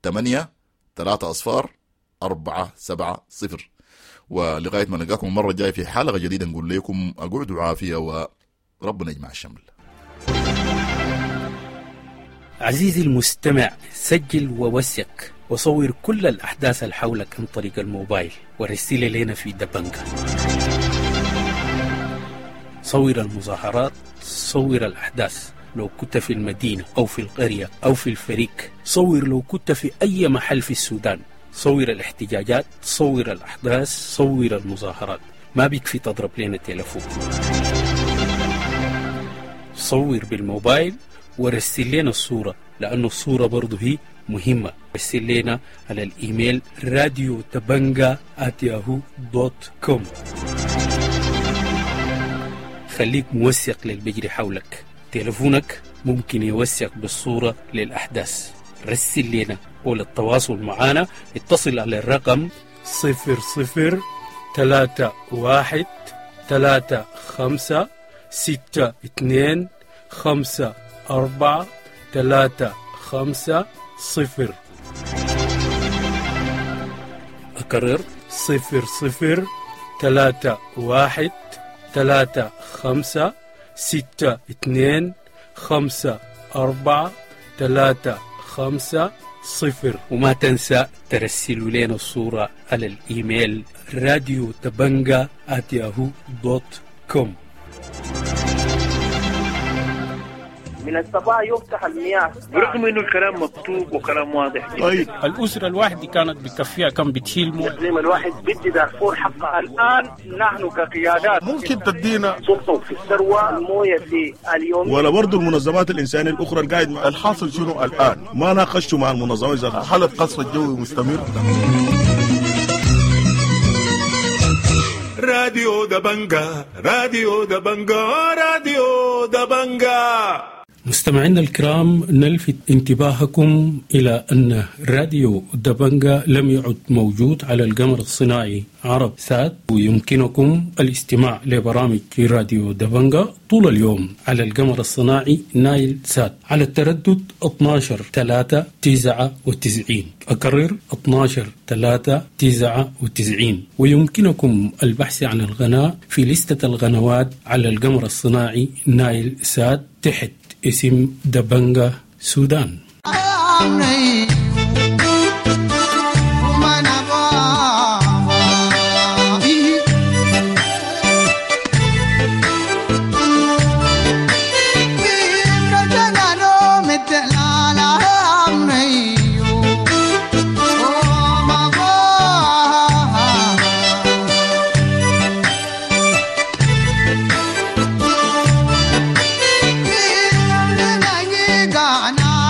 ثمانية ثلاثة أصفار أربعة سبعة صفر. ولغاية ما نلقاكم المرة الجاية في حلقة جديدة نقول لكم أقعدوا عافية وربنا يجمع الشمل. عزيزي المستمع، سجل ووثق وصور كل الأحداث اللي حولك عن طريق الموبايل ورسل لنا في دبنجة. صور المظاهرات، صور الأحداث لو كنت في المدينة أو في القرية أو في الفريق، صور لو كنت في أي محل في السودان، صور الاحتجاجات، صور الأحداث، صور المظاهرات. ما بيكفي تضرب لنا تلفون، صور بالموبايل ورسل لنا الصورة، لأنه الصورة برضو هي مهمة. رسل لنا على الإيميل راديو دبنجة آت ياهو دوت كوم. خليك موثق للبجري حولك، تلفونك ممكن يوثق بالصورة للأحداث. رسل لنا، وللتواصل معنا اتصل على الرقم صفر صفر ثلاثة واحد ثلاثة خمسة ستة اثنين خمسة أربعة ثلاثة خمسة صفر. أكرر صفر صفر ثلاثة واحد ثلاثة خمسة ستة اثنين خمسة أربعة ثلاثة خمسة صفر. وما تنسى ترسلوا لنا الصورة على الإيميل راديو دبنجة آت ياهو دوت كوم. من الصباح يفتح المياه برغم انه الكلام مكتوب وكلام واضح. طيب الاسرة الواحدة كانت بتكفيها كم بتشيل مويه؟ الاقليم الواحد بدي دارفور حقها. الان نحن كقيادات ممكن تدينا سلطة في الثروة المويه في اليوم، ولا برضه المنظمات الانسانية الاخرى القاعد الحاصل شنو الان؟ ما ناقشتوا مع المنظمات ذاتها. حاله قصف الجوي مستمر. راديو دبنجة، راديو دبنجة، راديو دبنجة. مستمعينا الكرام، نلفت انتباهكم إلى أن راديو دبنجة لم يعد موجود على القمر الصناعي عرب سات، ويمكنكم الاستماع لبرامج راديو دبنجة طول اليوم على القمر الصناعي نايل سات على التردد اثناشر ثلاثة تسعة وتسعين. أكرر اثناشر ثلاثة تسعة وتسعين. ويمكنكم البحث عن القناة في لستة القنوات على القمر الصناعي نايل سات تحت اسم دبنجة سودان. Gana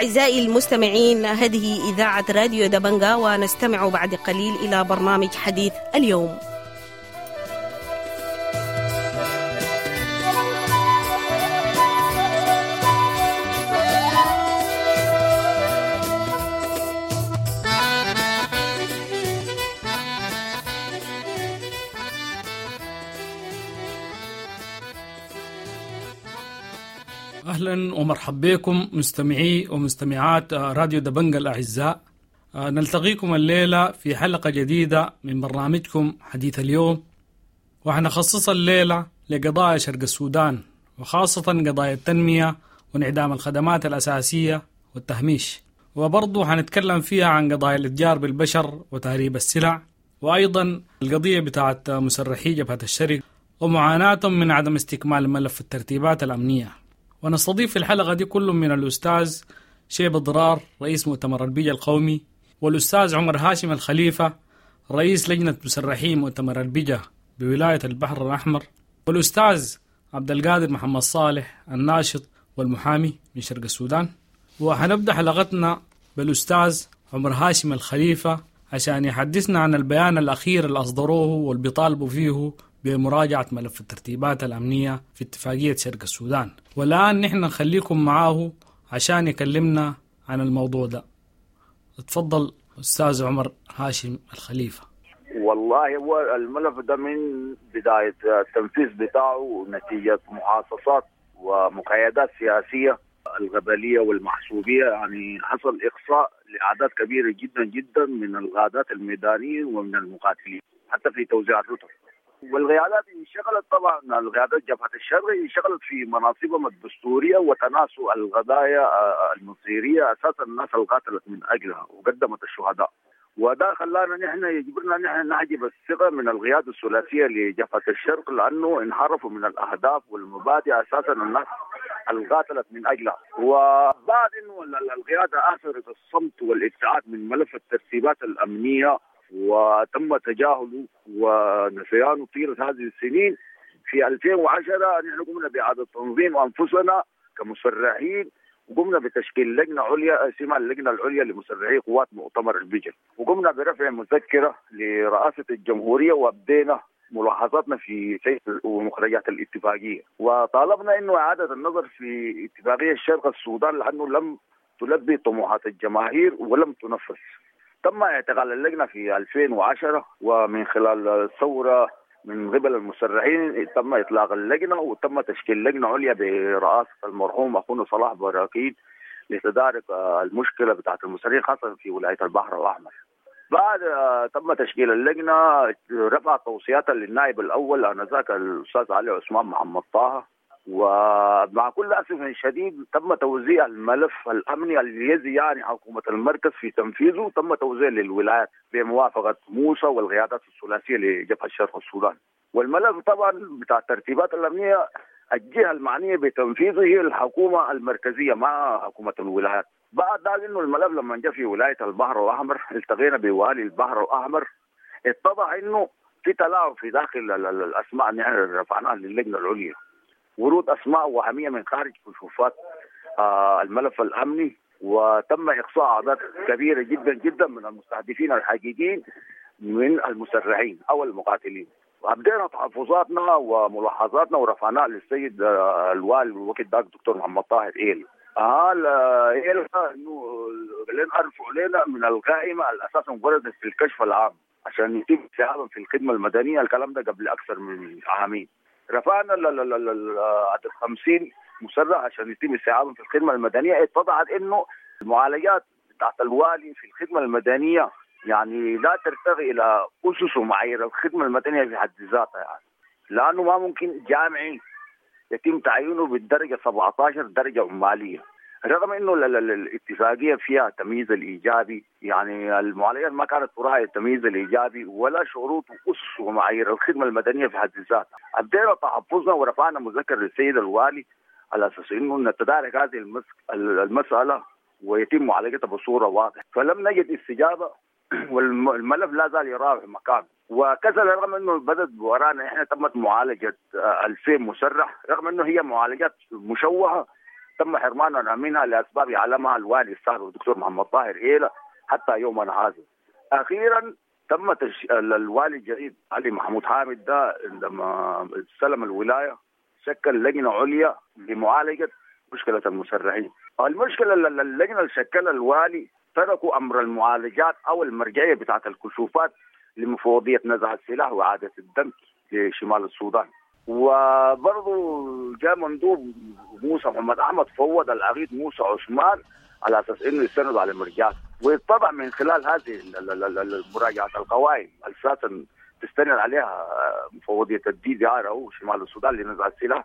أعزائي المستمعين، هذه إذاعة راديو دبنجا، ونستمع بعد قليل إلى برنامج حديث اليوم. أهلا ومرحبا بكم مستمعي ومستمعات راديو دبنجا الأعزاء. نلتقيكم الليلة في حلقة جديدة من برنامجكم حديث اليوم، وحنخصص الليلة لقضايا شرق السودان، وخاصة قضايا التنمية وانعدام الخدمات الأساسية والتهميش، وبرضو حنتكلم فيها عن قضايا الاتجار بالبشر وتهريب السلع، وأيضا القضية بتاعت مسرحي جبهة الشرق ومعاناتهم من عدم استكمال ملف الترتيبات الأمنية. ونستضيف في الحلقة دي كل من الأستاذ شيب ضرار رئيس مؤتمر البيجا القومي، والأستاذ عمر هاشم الخليفة رئيس لجنة مسرحي مؤتمر البيجا بولاية البحر الأحمر، والأستاذ عبد القادر محمد صالح الناشط والمحامي من شرق السودان. وحنبدأ حلقتنا بالأستاذ عمر هاشم الخليفة عشان يحدثنا عن البيان الأخير اللي أصدروه واللي بيطالبوا فيه بمراجعة ملف الترتيبات الأمنية في اتفاقية شرق السودان. والآن نحن نخليكم معاه عشان يكلمنا عن الموضوع ده. اتفضل أستاذ عمر هاشم الخليفة. والله هو الملف ده من بداية التنفيذ بتاعه نتيجة محاصصات ومقايدات سياسية الغبلية والمحسوبية، يعني حصل إقصاء لأعداد كبيرة جدا جدا من الغادات الميدانيين ومن المقاتلين حتى في توزيع الرتب. والقيادات انشغلت طبعا، القيادات جبهة الشرق انشغلت في مناصبهم الدستورية وتناسوا القضايا المصيرية أساسا الناس اللي قاتلت من أجلها وقدمت الشهداء، وده خلانا نحن يجبرنا نحن نحجب الثقة من القيادة الثلاثية لجبهة الشرق، لأنه انحرفوا من الأهداف والمبادئ أساسا الناس اللي قاتلت من أجلها. وبعد إنه القيادة آثرت الصمت والابتعاد من ملف الترتيبات الأمنية وتم تجاهله ونسيانه طيلة هذه السنين، في ألفين وعشرة نحن قمنا بإعادة تنظيم أنفسنا كمسرحين، وقمنا بتشكيل لجنة عليا اسمها اللجنة العليا لمسرحي قوات مؤتمر البيجا، وقمنا برفع مذكرة لرئاسة الجمهورية وابدينا ملاحظاتنا في سير ومخرجات الاتفاقية، وطالبنا إنه إعادة النظر في اتفاقية شرق السودان لأنه لم تلبي طموحات الجماهير ولم تنفذ. تم اعتقال اللجنة في ألفين وعشرة، ومن خلال الثورة من قبل المسرحين تم إطلاق اللجنة وتم تشكيل لجنة عليا برئاسة المرحوم أخونا صلاح براكين لتدارك المشكلة بتاعت المسرحين خاصة في ولاية البحر الأحمر. بعد تم تشكيل اللجنة رفع توصياتها للنائب الأول آنذاك الأستاذ علي عثمان محمد طه، ومع كل أسف شديد تم توزيع الملف الأمني الذي يعني حكومة المركز في تنفيذه، تم توزيع للولايات بموافقة موسى والقيادات الثلاثية لجبهة شرق السودان. والملف طبعا بتاع الترتيبات الأمنية الجهة المعنية بتنفيذه هي الحكومة المركزية مع حكومة الولايات. بعد ذلك إنه الملف لما جاء في ولاية البحر الأحمر التقينا بوالي البحر الأحمر، اتضح إنه في تلاعب في داخل الأسماء اللي احنا رفعناها للجنة العليا، ورود أسماء وهمية من خارج كشوفات آه الملف الأمني، وتم إقصاء أعداد كبيرة جدا جدا من المستهدفين الحقيقيين من المسرحين أو المقاتلين. وأبدينا تحفظاتنا وملاحظاتنا ورفعناها للسيد آه الوالي الوقت ذاك دكتور محمد طاهر إيل. آه إيل إنه لين أرفعوا لنا من القائمة الأساس مبرزة في الكشف العام عشان يتم استيعابهم في الخدمة المدنية. الكلام ده قبل أكثر من عامين. رفعنا عدد خمسين مسرح عشان يتم استيعابهم في الخدمة المدنية. اتضحت إنه المعالجات بتاعت الوالي في الخدمة المدنية يعني لا ترتقي إلى أسس ومعايير الخدمة المدنية في حد ذاتها، يعني لأنه ما ممكن جامعي يتم تعيينه بالدرجة سبعة عشر درجة عمالية، رغم انه الاتفاقية فيها التمييز الايجابي، يعني المعالجات ما كانت تراعي التمييز الايجابي ولا شروط واسس ومعايير الخدمة المدنية في حد ذاتها. ابدينا تحفظنا ورفعنا مذكر للسيد الوالي على اساس انه نتدارك هذه المسالة ويتم معالجتها بصورة واضحة، فلم نجد استجابة والملف لا زال يراوح مكانه. وكذا رغم انه بدت ورانا احنا تمت معالجة ألفين مسرح، رغم انه هي معالجات مشوهة، تم حرماننا منها لأسباب يعلمها الوالي السابق الدكتور محمد طاهر إيلا حتى يومنا هذا. أخيرا تم تش... الوالي الجديد علي محمود حامد ده عندما استلم الولاية شكل لجنة عليا لمعالجة مشكلة المسرحين. المشكلة اللجنة اللي شكلها الوالي تركوا أمر المعالجات أو المرجعية بتاعة الكشوفات لمفوضية نزع السلاح وإعادة الدم لشمال السودان. وبرضه جاء مندوب موسى محمد أحمد فوض العقيد موسى عثمان على أساس إنه يستند على المرجعات، ويتضح من خلال هذه المراجعة القوائم أساسا تستند عليها مفوضية الدي دي آر أو شمال السودان لنزع السلاح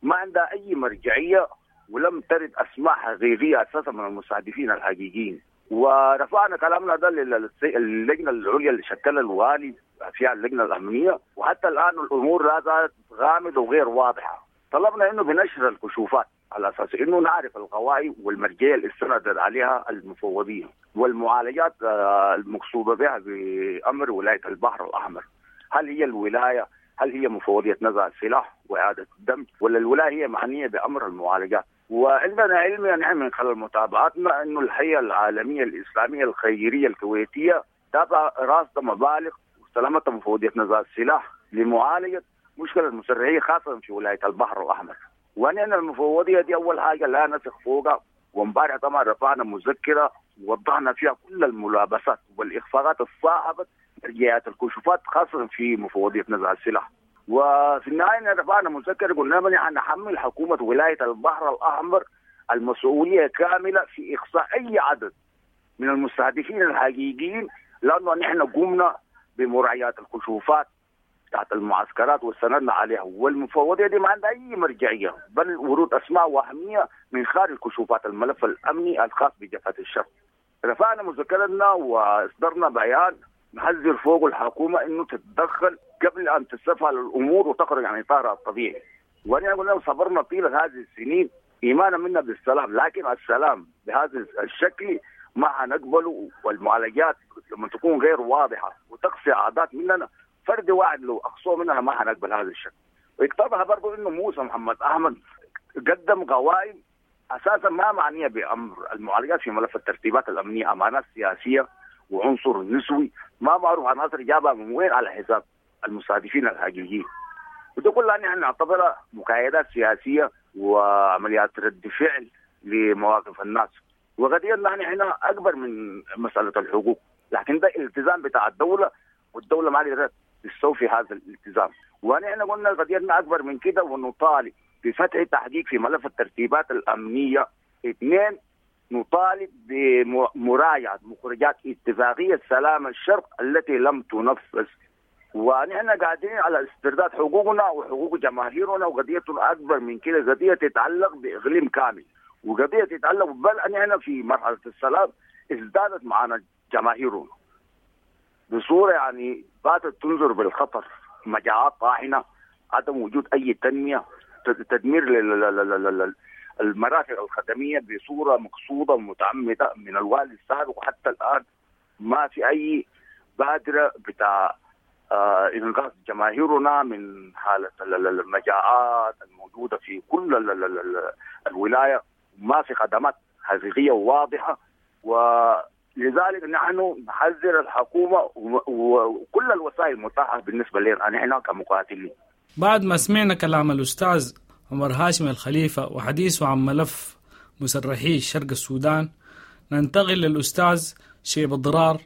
ما عندها أي مرجعية، ولم ترد أسماء حقيقية أساسا من المستهدفين الحقيقيين. ورفعنا كلامنا ده للجنة العليا اللي شكلها الوالي فيها اللجنة الأمنية، وحتى الآن الأمور لا زالت غامضة وغير واضحة. طلبنا إنه بنشر الكشوفات على أساس إنه نعرف القوائم والمرجعية اللي استندت عليها المفوضية والمعالجات المقصودة بها بأمر ولاية البحر الأحمر. هل هي الولاية؟ هل هي مفوضية نزع السلاح وإعادة الدم، ولا الولاية هي معنية بأمر المعالجات؟ وعندنا علم يعني من خلال متابعتنا أنه الهيئة العالمية الإسلامية الخيرية الكويتية تابع راصدة مبالغ واستلمتها مفوضية نزع السلاح لمعالجة مشكلة المسرحية خاصة في ولاية البحر الأحمر. ونحن المفوضية دي أول حاجة لا نثق فوقها، وامبارح طبعا رفعنا مذكرة ووضحنا فيها كل الملابسات والإخفاقات الصاحبة مرجعيات الكشوفات خاصة في مفوضية نزع السلاح. وفي النهاية رفعنا مذكرة قلنا نحن نحمل حكومة ولاية البحر الأحمر المسؤولية كاملة في إقصاء أي عدد من المستهدفين الحقيقيين، لأنه نحن قمنا بمراعيات الكشوفات تحت المعسكرات واستندنا عليها، والمفوضية دي ما عندها أي مرجعية، بل ورود أسماء وهمية من خارج كشوفات الملف الأمني الخاص بجبهة الشرق. رفعنا مذكرتنا وإصدرنا بيان نحذر فوق الحكومة إنه تتدخل قبل أن تستفعل الأمور وتخرج عن إطارها الطبيعي. ونحن قلنا صبرنا طيلة هذه السنين إيمانا منا بالسلام، لكن السلام بهذا الشكل ما حنقبله، والمعالجات لما تكون غير واضحة وتقصي عادات مننا فرد واحد لو أقصوه مننا ما حنقبل هذا الشكل. ويقتضها برضو إنه موسى محمد أحمد قدم قوائم أساسا ما معنية بأمر المعالجات في ملف الترتيبات الأمنية، أمانات سياسية وعنصر نسوي ما معروف عناصر جابها من وين على حساب المستهدفين الحقيقيين. وده كلها نحن نعتبرها مكايدات سياسية وعمليات رد فعل لمواقف الناس. وقضيتنا نحن هنا أكبر من مسألة الحقوق، لكن ده التزام بتاع الدولة، والدولة ما قدرت تستوفي هذا الالتزام. ونحن قلنا قضيتنا أكبر من كده، ونطالب بفتح تحقيق في ملف الترتيبات الأمنية. اثنين، نطالب بمراجعة مخرجات اتفاقية سلام الشرق التي لم تنفذ. ونحن قاعدين على استرداد حقوقنا وحقوق جماهيرنا، وقضيتنا أكبر من كده، قضية تتعلق بإقليم كامل، وقضية تتعلق بل نحن في مرحلة السلام ازدادت معنا جماهيرنا بصورة يعني باتت تنظر بالخطر، مجاعات طاحنة، عدم وجود أي تنمية، تدمير المرافق الخدمية بصورة مقصودة ومتعمدة من الوالي السابق، وحتى الآن ما في أي بادرة بتاع آه إنقاذ جماهيرنا من حالة المجاعات الموجودة في كل الولاية. ما في خدمات حقيقية وواضحة، ولذلك نحن نحذر الحكومة وكل الوسائل المتاحة بالنسبة لنا نحن كمقاتلين. بعد ما سمعنا كلام الأستاذ عمر هاشم الخليفة وحديثه عن ملف مسرحي شرق السودان، ننتقل للأستاذ شيب الضرار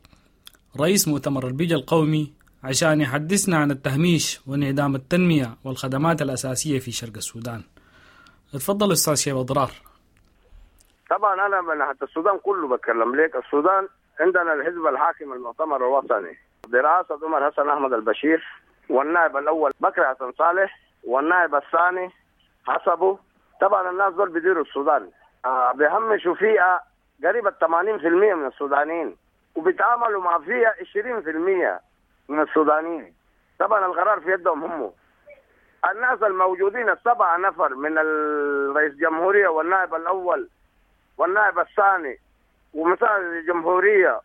رئيس مؤتمر البيجا القومي عشان يحدثنا عن التهميش وانعدام التنمية والخدمات الأساسية في شرق السودان. اتفضل أستاذ شيب الضرار. طبعا أنا من حتى السودان كله بتكلم لك. السودان عندنا الحزب الحاكم المؤتمر الوطني برئاسة عمر حسن أحمد البشير، والنائب الأول بكر حسن صالح، والنائب الثاني حسبه. طبعا الناس دول بيديروا السودان، آه بيهمشوا فيها قريب ثمانين بالمئة من السودانيين، وبيتعاملوا مع فيها عشرين بالمئة من السودانيين. طبعا القرار في يدهم هم. الناس الموجودين السبعة نفر من الرئيس الجمهورية والنائب الأول والنائب الثاني ومساعد الجمهورية،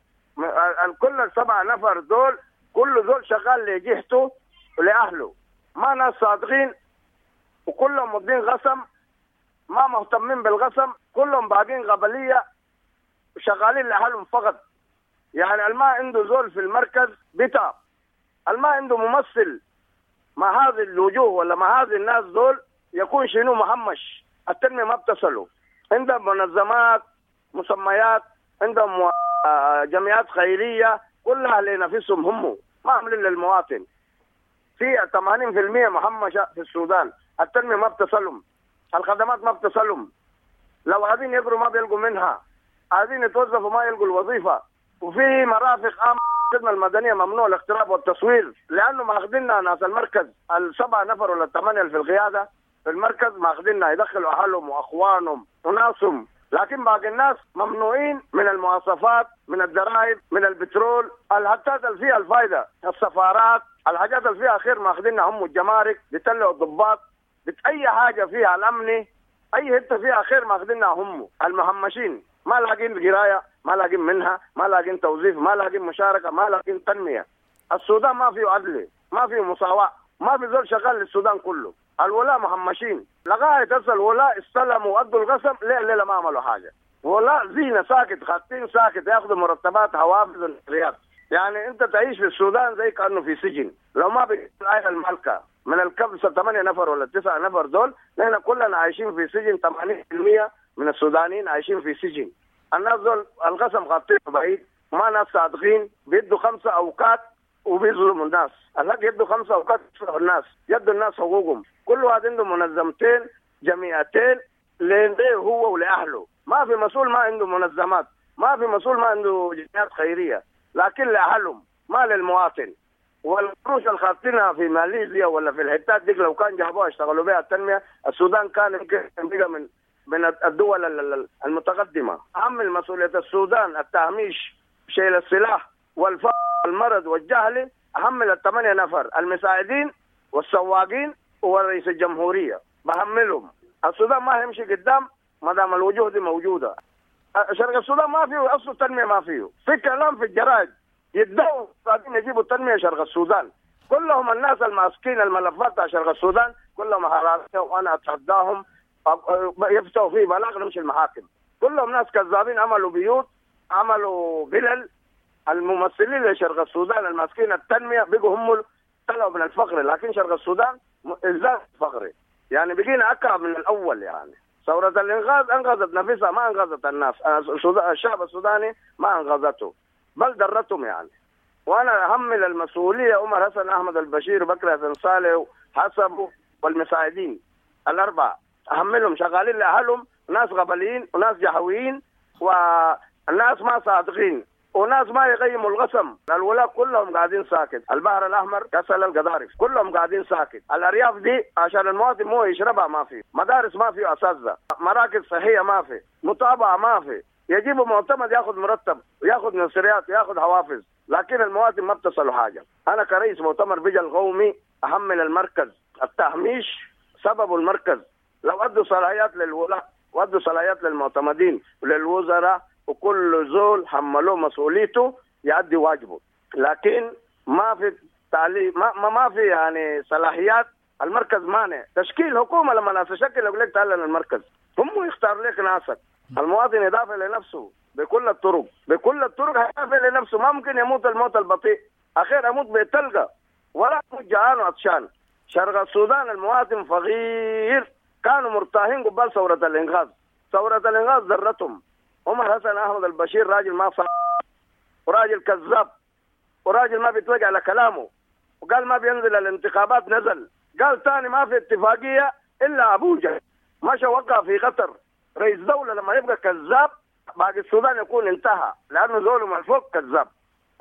الكل السبعة نفر دول كل دول شغال لجهته ولأهله، ما ناس صادقين، وكلهم مدين قسم ما مهتمين بالقسم، كلهم باقين قبلية شغالين لأهلهم فقط. يعني الما عنده زول في المركز بتاع، الما عنده ممثل مع هذه الوجوه ولا مع هذه الناس دول يكون شنو مهمش. التنمية ما بتصلوا. عندهم منظمات مسميات، عندهم جمعيات خيرية كلها لنفسهم هم، ما عاملين للمواطن. في ثمانين بالمئة مهمشة في السودان، التنمية ما بتصلهم، الخدمات ما بتصلهم. لو عايزين يقروا ما بيلقوا منها، عايزين يتوظفوا ما يلقوا الوظيفة. وفي مرافق عامة الخدمة المدنية ممنوع الاقتراب والتصوير، لأنه ماخذيننا ناس المركز السبعة نفر ولا الثمانية في القيادة في المركز ماخذيننا يدخلوا أهلهم وأخوانهم وناسهم، لكن باقي الناس ممنوعين من المواصفات، من الضرائب، من البترول، الحاجات اللي فيها الفايدة، السفارات، الحاجات اللي فيها خير ماخذينها هم. الجمارك بيطلعوا الضباط، اي حاجة فيها الأمني، أي حتة فيها خير ماخذينها هم. المهمشين ما لاقين قراية، ما لاقين منها، ما لاقين توظيف، ما لاقين مشاركة، ما لاقين تنمية. السودان ما فيه عدل، ما فيه مساواة، ما في زول شغال للسودان كله. الولاء مهمشين لغاية هسه. الولاء استلموا وأدوا القسم، ليه الليلة ما عملوا حاجة. ولاء زينة ساكت، خاطين ساكت، ياخذوا مرتبات حوافز الرياض. يعني أنت تعيش في السودان زي كأنه في سجن. لو ما بقى الملكة من الكبسة ثمانية نفر ولا تسعة نفر دول، نحن كلنا عايشين في سجن. ثمانين بالمئة من السودانيين عايشين في سجن. الناس دول القسم خاطين بعيد، ما ناس صادقين، بيدوا خمسة أوقات وبيظلموا الناس. الحق يدوا خمسة أوقات يظلموا الناس، يدوا الناس حقوقهم. كل واحد عنده منظمتين جمعيتين ليه هو ولأهله. ما في مسؤول ما عنده منظمات، ما في مسؤول ما عنده جمعيات خيرية، لكن لأهلهم ما للمواطن. والقروش اللي خاطينها في ماليزيا ولا في الحتات دي لو كان جابوها اشتغلوا بها التنمية، السودان كان يمكن بقى من من الدول المتقدمة. أهم مسؤولية السودان التهميش، شيل السلاح والفقر والمرض والجهل، أهم الثمانية نفر المساعدين والسواقين ورئيس الجمهورية بهملهم. السودان ما هيمشي قدام ما دام الوجوه دي موجودة. شرق السودان ما فيه أصل التنمية، ما فيه. في كلام في الجرائد يدعوا قاعدين يجيبوا التنمية شرق السودان، كلهم الناس الماسكين الملفات تاع شرق السودان كلهم حرامية، وأنا أتحداهم يفتحوا فيه بلاغ نمشي المحاكم. كلهم ناس كذابين، عملوا بيوت، عملوا فلل. الممثلين لشرق السودان الماسكين التنمية بقوا هم طلعوا من الفقر، لكن شرق السودان ازداد فقري، يعني بقينا أكعب من الأول. يعني ثورة الإنقاذ أنقذت نفسها، ما أنقذت الناس. الشعب السوداني ما أنقذته، بل درتهم يعني. وأنا أحمل المسؤولية عمر حسن أحمد البشير وبكر حسن صالح وحسبه والمساعدين الأربعة، أحملهم شغالين لأهلهم، ناس قبليين وناس جهويين والناس ما صادقين وناس ما يقيموا القسم. الولاء كلهم قاعدين ساكت، البحر الأحمر كسل القضارف كلهم قاعدين ساكت. الأرياف دي عشان المواطن مو يشربها ما في، مدارس ما في، أساتذة، مراكز صحية ما في، متابعة ما في. يجيبوا معتمد ياخذ مرتب وياخذ نصريات وياخذ حوافز، لكن المواطن ما بتصلوا حاجة. أنا كرئيس مؤتمر بجا القومي أحمل المركز التهميش سبب المركز. لو أدوا صلاحيات للولاء وأدوا صلاحيات للمعتمدين وللوزراء وكل زول حملوه مسؤوليته يؤدي واجبه، لكن ما في تعليم، ما ما في يعني صلاحيات. المركز مانع تشكيل حكومة. لما ناس تشكل يقول لك تعال للمركز، هم يختار لك ناسك. المواطن يدافع لنفسه بكل الطرق، بكل الطرق هيدافع لنفسه. ما ممكن يموت الموت البطيء، اخير اموت بتلقى ولا اموت جعان وعطشان. شرق السودان المواطن فقير، كانوا مرتاحين قبل ثورة الإنقاذ. ثورة الإنقاذ ذرتهم. عمر حسن أحمد البشير راجل ما صار، وراجل كذاب، وراجل ما بيتوجع على كلامه، وقال ما بينزل الانتخابات نزل، قال تاني ما في اتفاقية إلا أبوجا، مشى وقع في قطر. رئيس دولة لما يبقى كذاب باقي السودان يكون انتهى، لأنه زوله من فوق كذاب.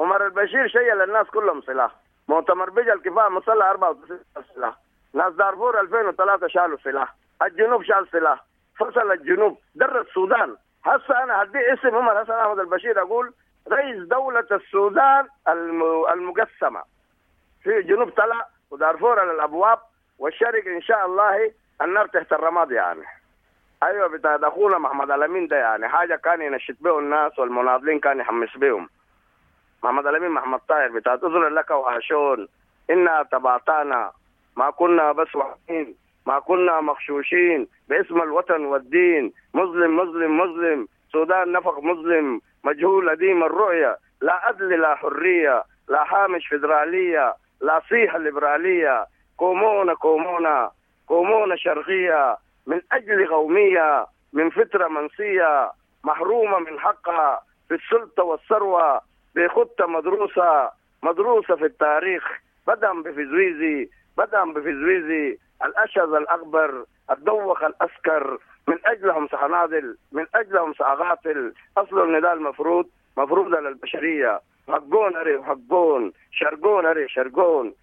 عمر البشير شيل الناس كلهم سلاح. مؤتمر بجا الكفاح مسلح أربعة وتسعين سلاح، ناس دارفور ألفين وثلاثة شالوا سلاح، الجنوب شال سلاح، فصل الجنوب، در السودان. هسه أنا هدي اسم عمر حسن أحمد البشير أقول رئيس دولة السودان المقسمة، في الجنوب طلع ودارفور على الأبواب، والشرق إن شاء الله النار تحت الرماد يعني. أيوة بتاع أخونا محمد الأمين ده يعني حاجة كان ينشط به الناس والمناضلين كان يحمس بهم. محمد الأمين محمد طاهر بتاع أذر لك وعاشون إنا تبعتانا ما كنا بس واقفين، ما كنا مغشوشين، باسم الوطن والدين. مظلم مظلم مظلم، سودان نفق مظلم، مجهول أديم الرؤية، لا عدل لا حرية، لا حامش فدرالية، لا صيحة ليبرالية. كومونا كومونا كومونا شرقية، من أجل قومية، من فترة منسية، محرومة من حقها في السلطة والثروة، بخطة مدروسة مدروسة في التاريخ. بدأ بفزويزي بدأ بفزويزي، الأشذ الأكبر، الدوخ الأسكر، من أجلهم سأناضل، من أجلهم سأقاتل. أصل النداء المفروض مفروض على البشرية. حقون أري حقون، شرقون أري شرقون.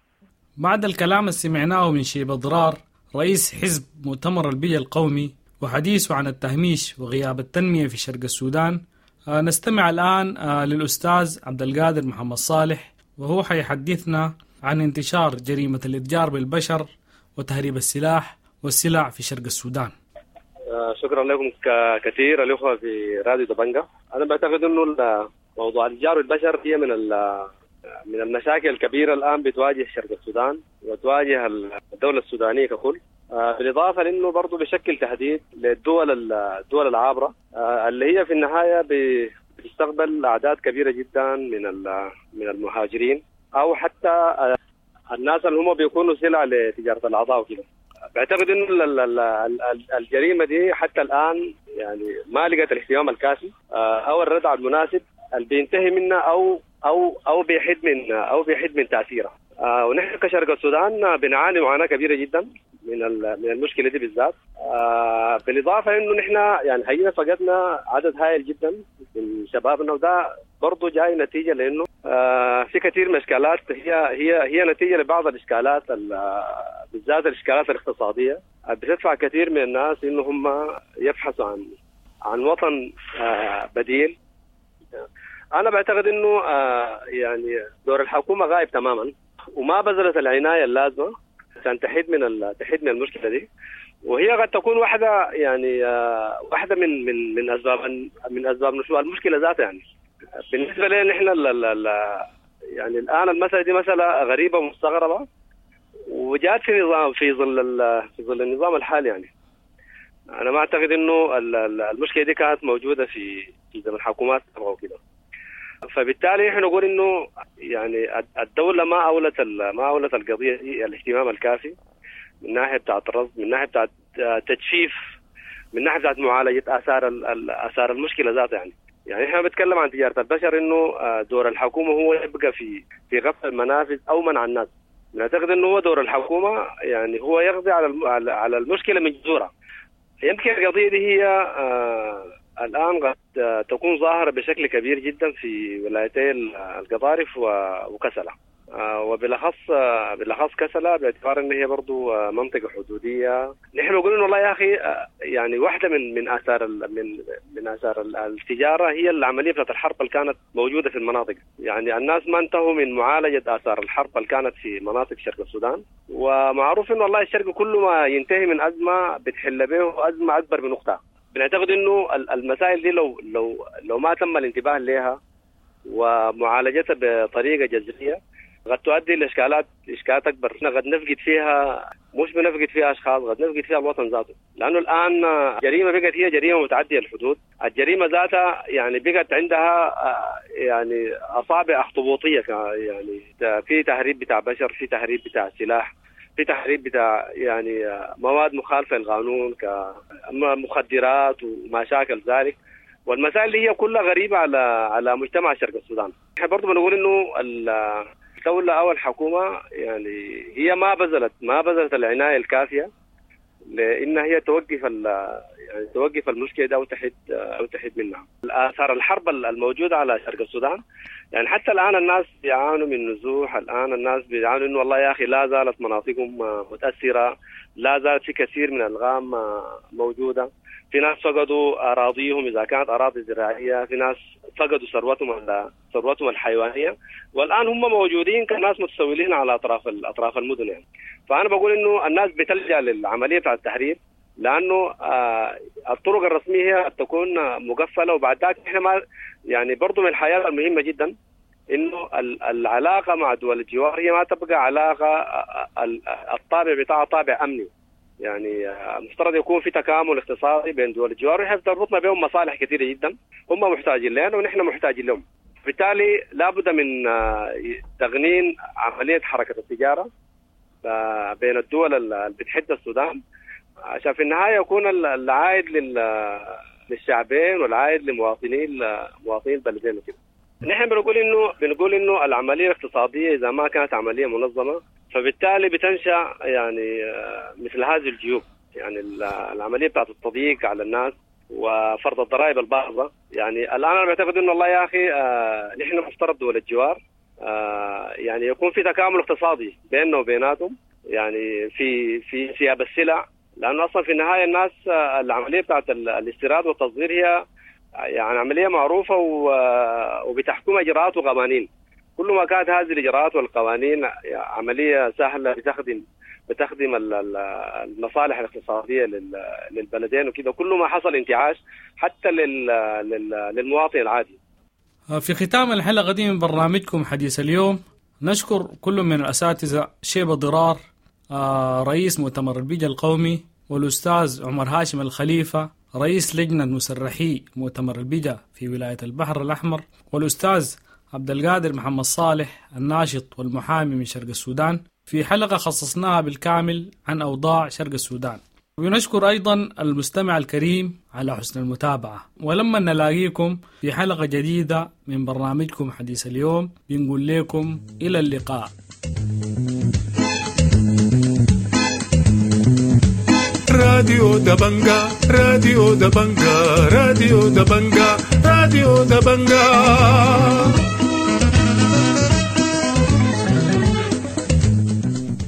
بعد الكلام اللي سمعناه من شيبة ضرار رئيس حزب مؤتمر البيئة القومي وحديثه عن التهميش وغياب التنمية في شرق السودان، نستمع الآن للأستاذ عبد القادر محمد صالح، وهو حيحدثنا عن انتشار جريمة الإتجار بالبشر وتهريب السلاح والسلع في شرق السودان. شكرا لكم كثير الأخوة في راديو دبنجة. أنا بعتقد أنه موضوع الإتجار بالبشر هي من من المشاكل الكبيرة الآن بتواجه شرق السودان وتواجه الدولة السودانية ككل، بالإضافة لأنه برضو بشكل تهديد للدول الدول العابرة اللي هي في النهاية بتستقبل أعداد كبيرة جدا من من المهاجرين أو حتى الناس اللي هم بيكونوا سلع لتجارة الأعضاء وكده. بعتقد إنه الجريمة دي حتى الآن يعني ما لقت الاهتمام الكافي أو الردع المناسب اللي بينتهي منها أو أو أو بيحد من أو بيحد من تأثيرها. ونحن كشرق السودان بنعاني معاناة كبيرة جدا من من المشكلة دي بالذات، بالإضافة إنه نحن يعني حقيقة فقدنا عدد هائل جدا من شبابنا، وده برضه جاي نتيجة لأنه في كثير من الإشكالات هي هي هي نتيجة لبعض الإشكالات بالذات الإشكالات الاقتصادية بتدفع كثير من الناس إنه هم يبحثوا عن عن وطن بديل. أنا بعتقد إنه يعني دور الحكومة غايب تماما وما بذلت العناية اللازمة عشان تحد من تحد من المشكلة دي، وهي قد تكون واحدة يعني واحدة من من من أسباب من أسباب نشوء المشكلة ذاتها. يعني بالنسبة لنا نحن يعني الآن المسألة دي مسألة غريبة ومستغربة وجات في نظام في ظل في ظل النظام الحالي. يعني أنا ما أعتقد إنه المشكلة دي كانت موجودة في في زمن الحكومات أو كده، فبالتالي احنا نقول انه يعني الدولة ما اولت ما اولت القضية دي الاهتمام الكافي من ناحية بتاعه الرصد، من ناحية بتاعه تجفيف، من ناحية بتاعه معالجة اثار اثار المشكلة ذاتها. يعني يعني احنا بنتكلم عن تجارة البشر انه دور الحكومة هو يبقى في في غفل المنافذ او منع الناس. نعتقد انه هو دور الحكومة يعني هو يقضي على على المشكلة من جذورها. يمكن القضية دي هي آه الآن قد تكون ظاهرة بشكل كبير جدا في ولايتي القضارف وكسلة، وبالأخص بالأخص كسلة باعتبار أن هي برضو منطقة حدودية. نحن نقول إنه والله يا أخي يعني واحدة من من آثار من من آثار التجارة هي العملية بتاعت الحرب اللي كانت موجودة في المناطق. يعني الناس ما انتهوا من معالجة آثار الحرب اللي كانت في مناطق شرق السودان، ومعروف إنه والله الشرق كل ما ينتهي من أزمة بتحل به أزمة أكبر من أختها. بنعتقد انه المسائل دي لو لو لو ما تم الانتباه لها ومعالجتها بطريقة جذرية قد تؤدي لاشكالات اشكالات اكبر. قد نفقد فيها، مش بنفقد فيها اشخاص، قد نفقد فيها الوطن ذاته، لانه الان جريمة بقت هي جريمة متعدية الحدود. الجريمة ذاتها يعني بقت عندها يعني اصابع اخطبوطيه، يعني في تهريب بتاع بشر، في تهريب بتاع سلاح، في تهريب بتاع يعني مواد مخالفة للقانون كمخدرات وما شاكل ذلك، والمسائل اللي هي كلها غريبة على على مجتمع شرق السودان. احنا برضه بنقول انه الدولة او الحكومة يعني هي ما بذلت ما بذلت العناية الكافية لان هي توقف يعني توقف المشكلة دي او تحد او تحد منها. اثار الحرب الموجودة على شرق السودان يعني حتى الان الناس بيعانوا من نزوح، الان الناس بيعانوا انه والله يا اخي لا زالت مناطقهم متاثرة، لا زالت في كثير من الالغام موجودة، في ناس فقدوا اراضيهم اذا كانت اراضي زراعية، في ناس فقدوا ثروتهم ثروتهم الحيوانية، والان هم موجودين كناس متسولين على اطراف اطراف المدن. يعني فانا بقول انه الناس بتلجا للعملية بتاع التهريب لانه آه الطرق الرسمية هي تكون مقفلة. وبعد ذلك احنا ما يعني برضه من الحياة المهمة جدا انه العلاقة مع دول الجوار هي ما تبقى علاقة الطابع بتاعها طابع امني. يعني مفترض يكون في تكامل اقتصادي بين دول الجوار، ونحن تربطنا بهم مصالح كثيرة جدا، هم محتاجين لنا ونحن محتاجين لهم. بالتالي لابد من تغنين عملية حركة التجارة بين الدول اللي بتحد السودان، عشان في النهاية يكون العائد للشعبين والعائد لمواطنين مواطنين البلدين وكده. نحن بنقول انه بنقول انه العملية الاقتصادية اذا ما كانت عملية منظمة فبالتالي بتنشا يعني مثل هذه الجيوب، يعني العملية بتاعت التضييق على الناس وفرض الضرائب الباهظه. يعني الان انا بعتقد انه والله يا اخي آه نحن مفترض دول الجوار آه يعني يكون في تكامل اقتصادي بيننا وبيناتهم، يعني في في انسياب السلع، لانه اصلا في النهاية الناس آه العملية بتاعت الاستيراد والتصدير هي يعني عملية معروفة وبتحكم اجراءات وقوانين. كل ما كانت هذه الاجراءات والقوانين عملية سهلة بتخدم بتخدم المصالح الاقتصادية للبلدين وكده، كل ما حصل انتعاش حتى للمواطن العادي. في ختام الحلقة دي من برنامجكم حديث اليوم نشكر كل من الأساتذة شيبة ضرار رئيس مؤتمر البيجا القومي، والأستاذ عمر هاشم الخليفة رئيس لجنة مسرحي مؤتمر البيجا في ولاية البحر الأحمر، والأستاذ عبد القادر محمد صالح الناشط والمحامي من شرق السودان، في حلقة خصصناها بالكامل عن أوضاع شرق السودان. ونشكر أيضا المستمع الكريم على حسن المتابعة، ولما نلاقيكم في حلقة جديدة من برنامجكم حديث اليوم بنقول لكم إلى اللقاء. راديو دبنجا، راديو دبنجا، راديو دبنجا، راديو دبنجا.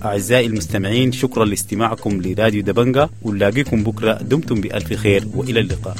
أعزائي المستمعين، شكرا لاستماعكم لراديو دبنجا، ونلاقيكم بكرة. دمتم بألف خير وإلى اللقاء.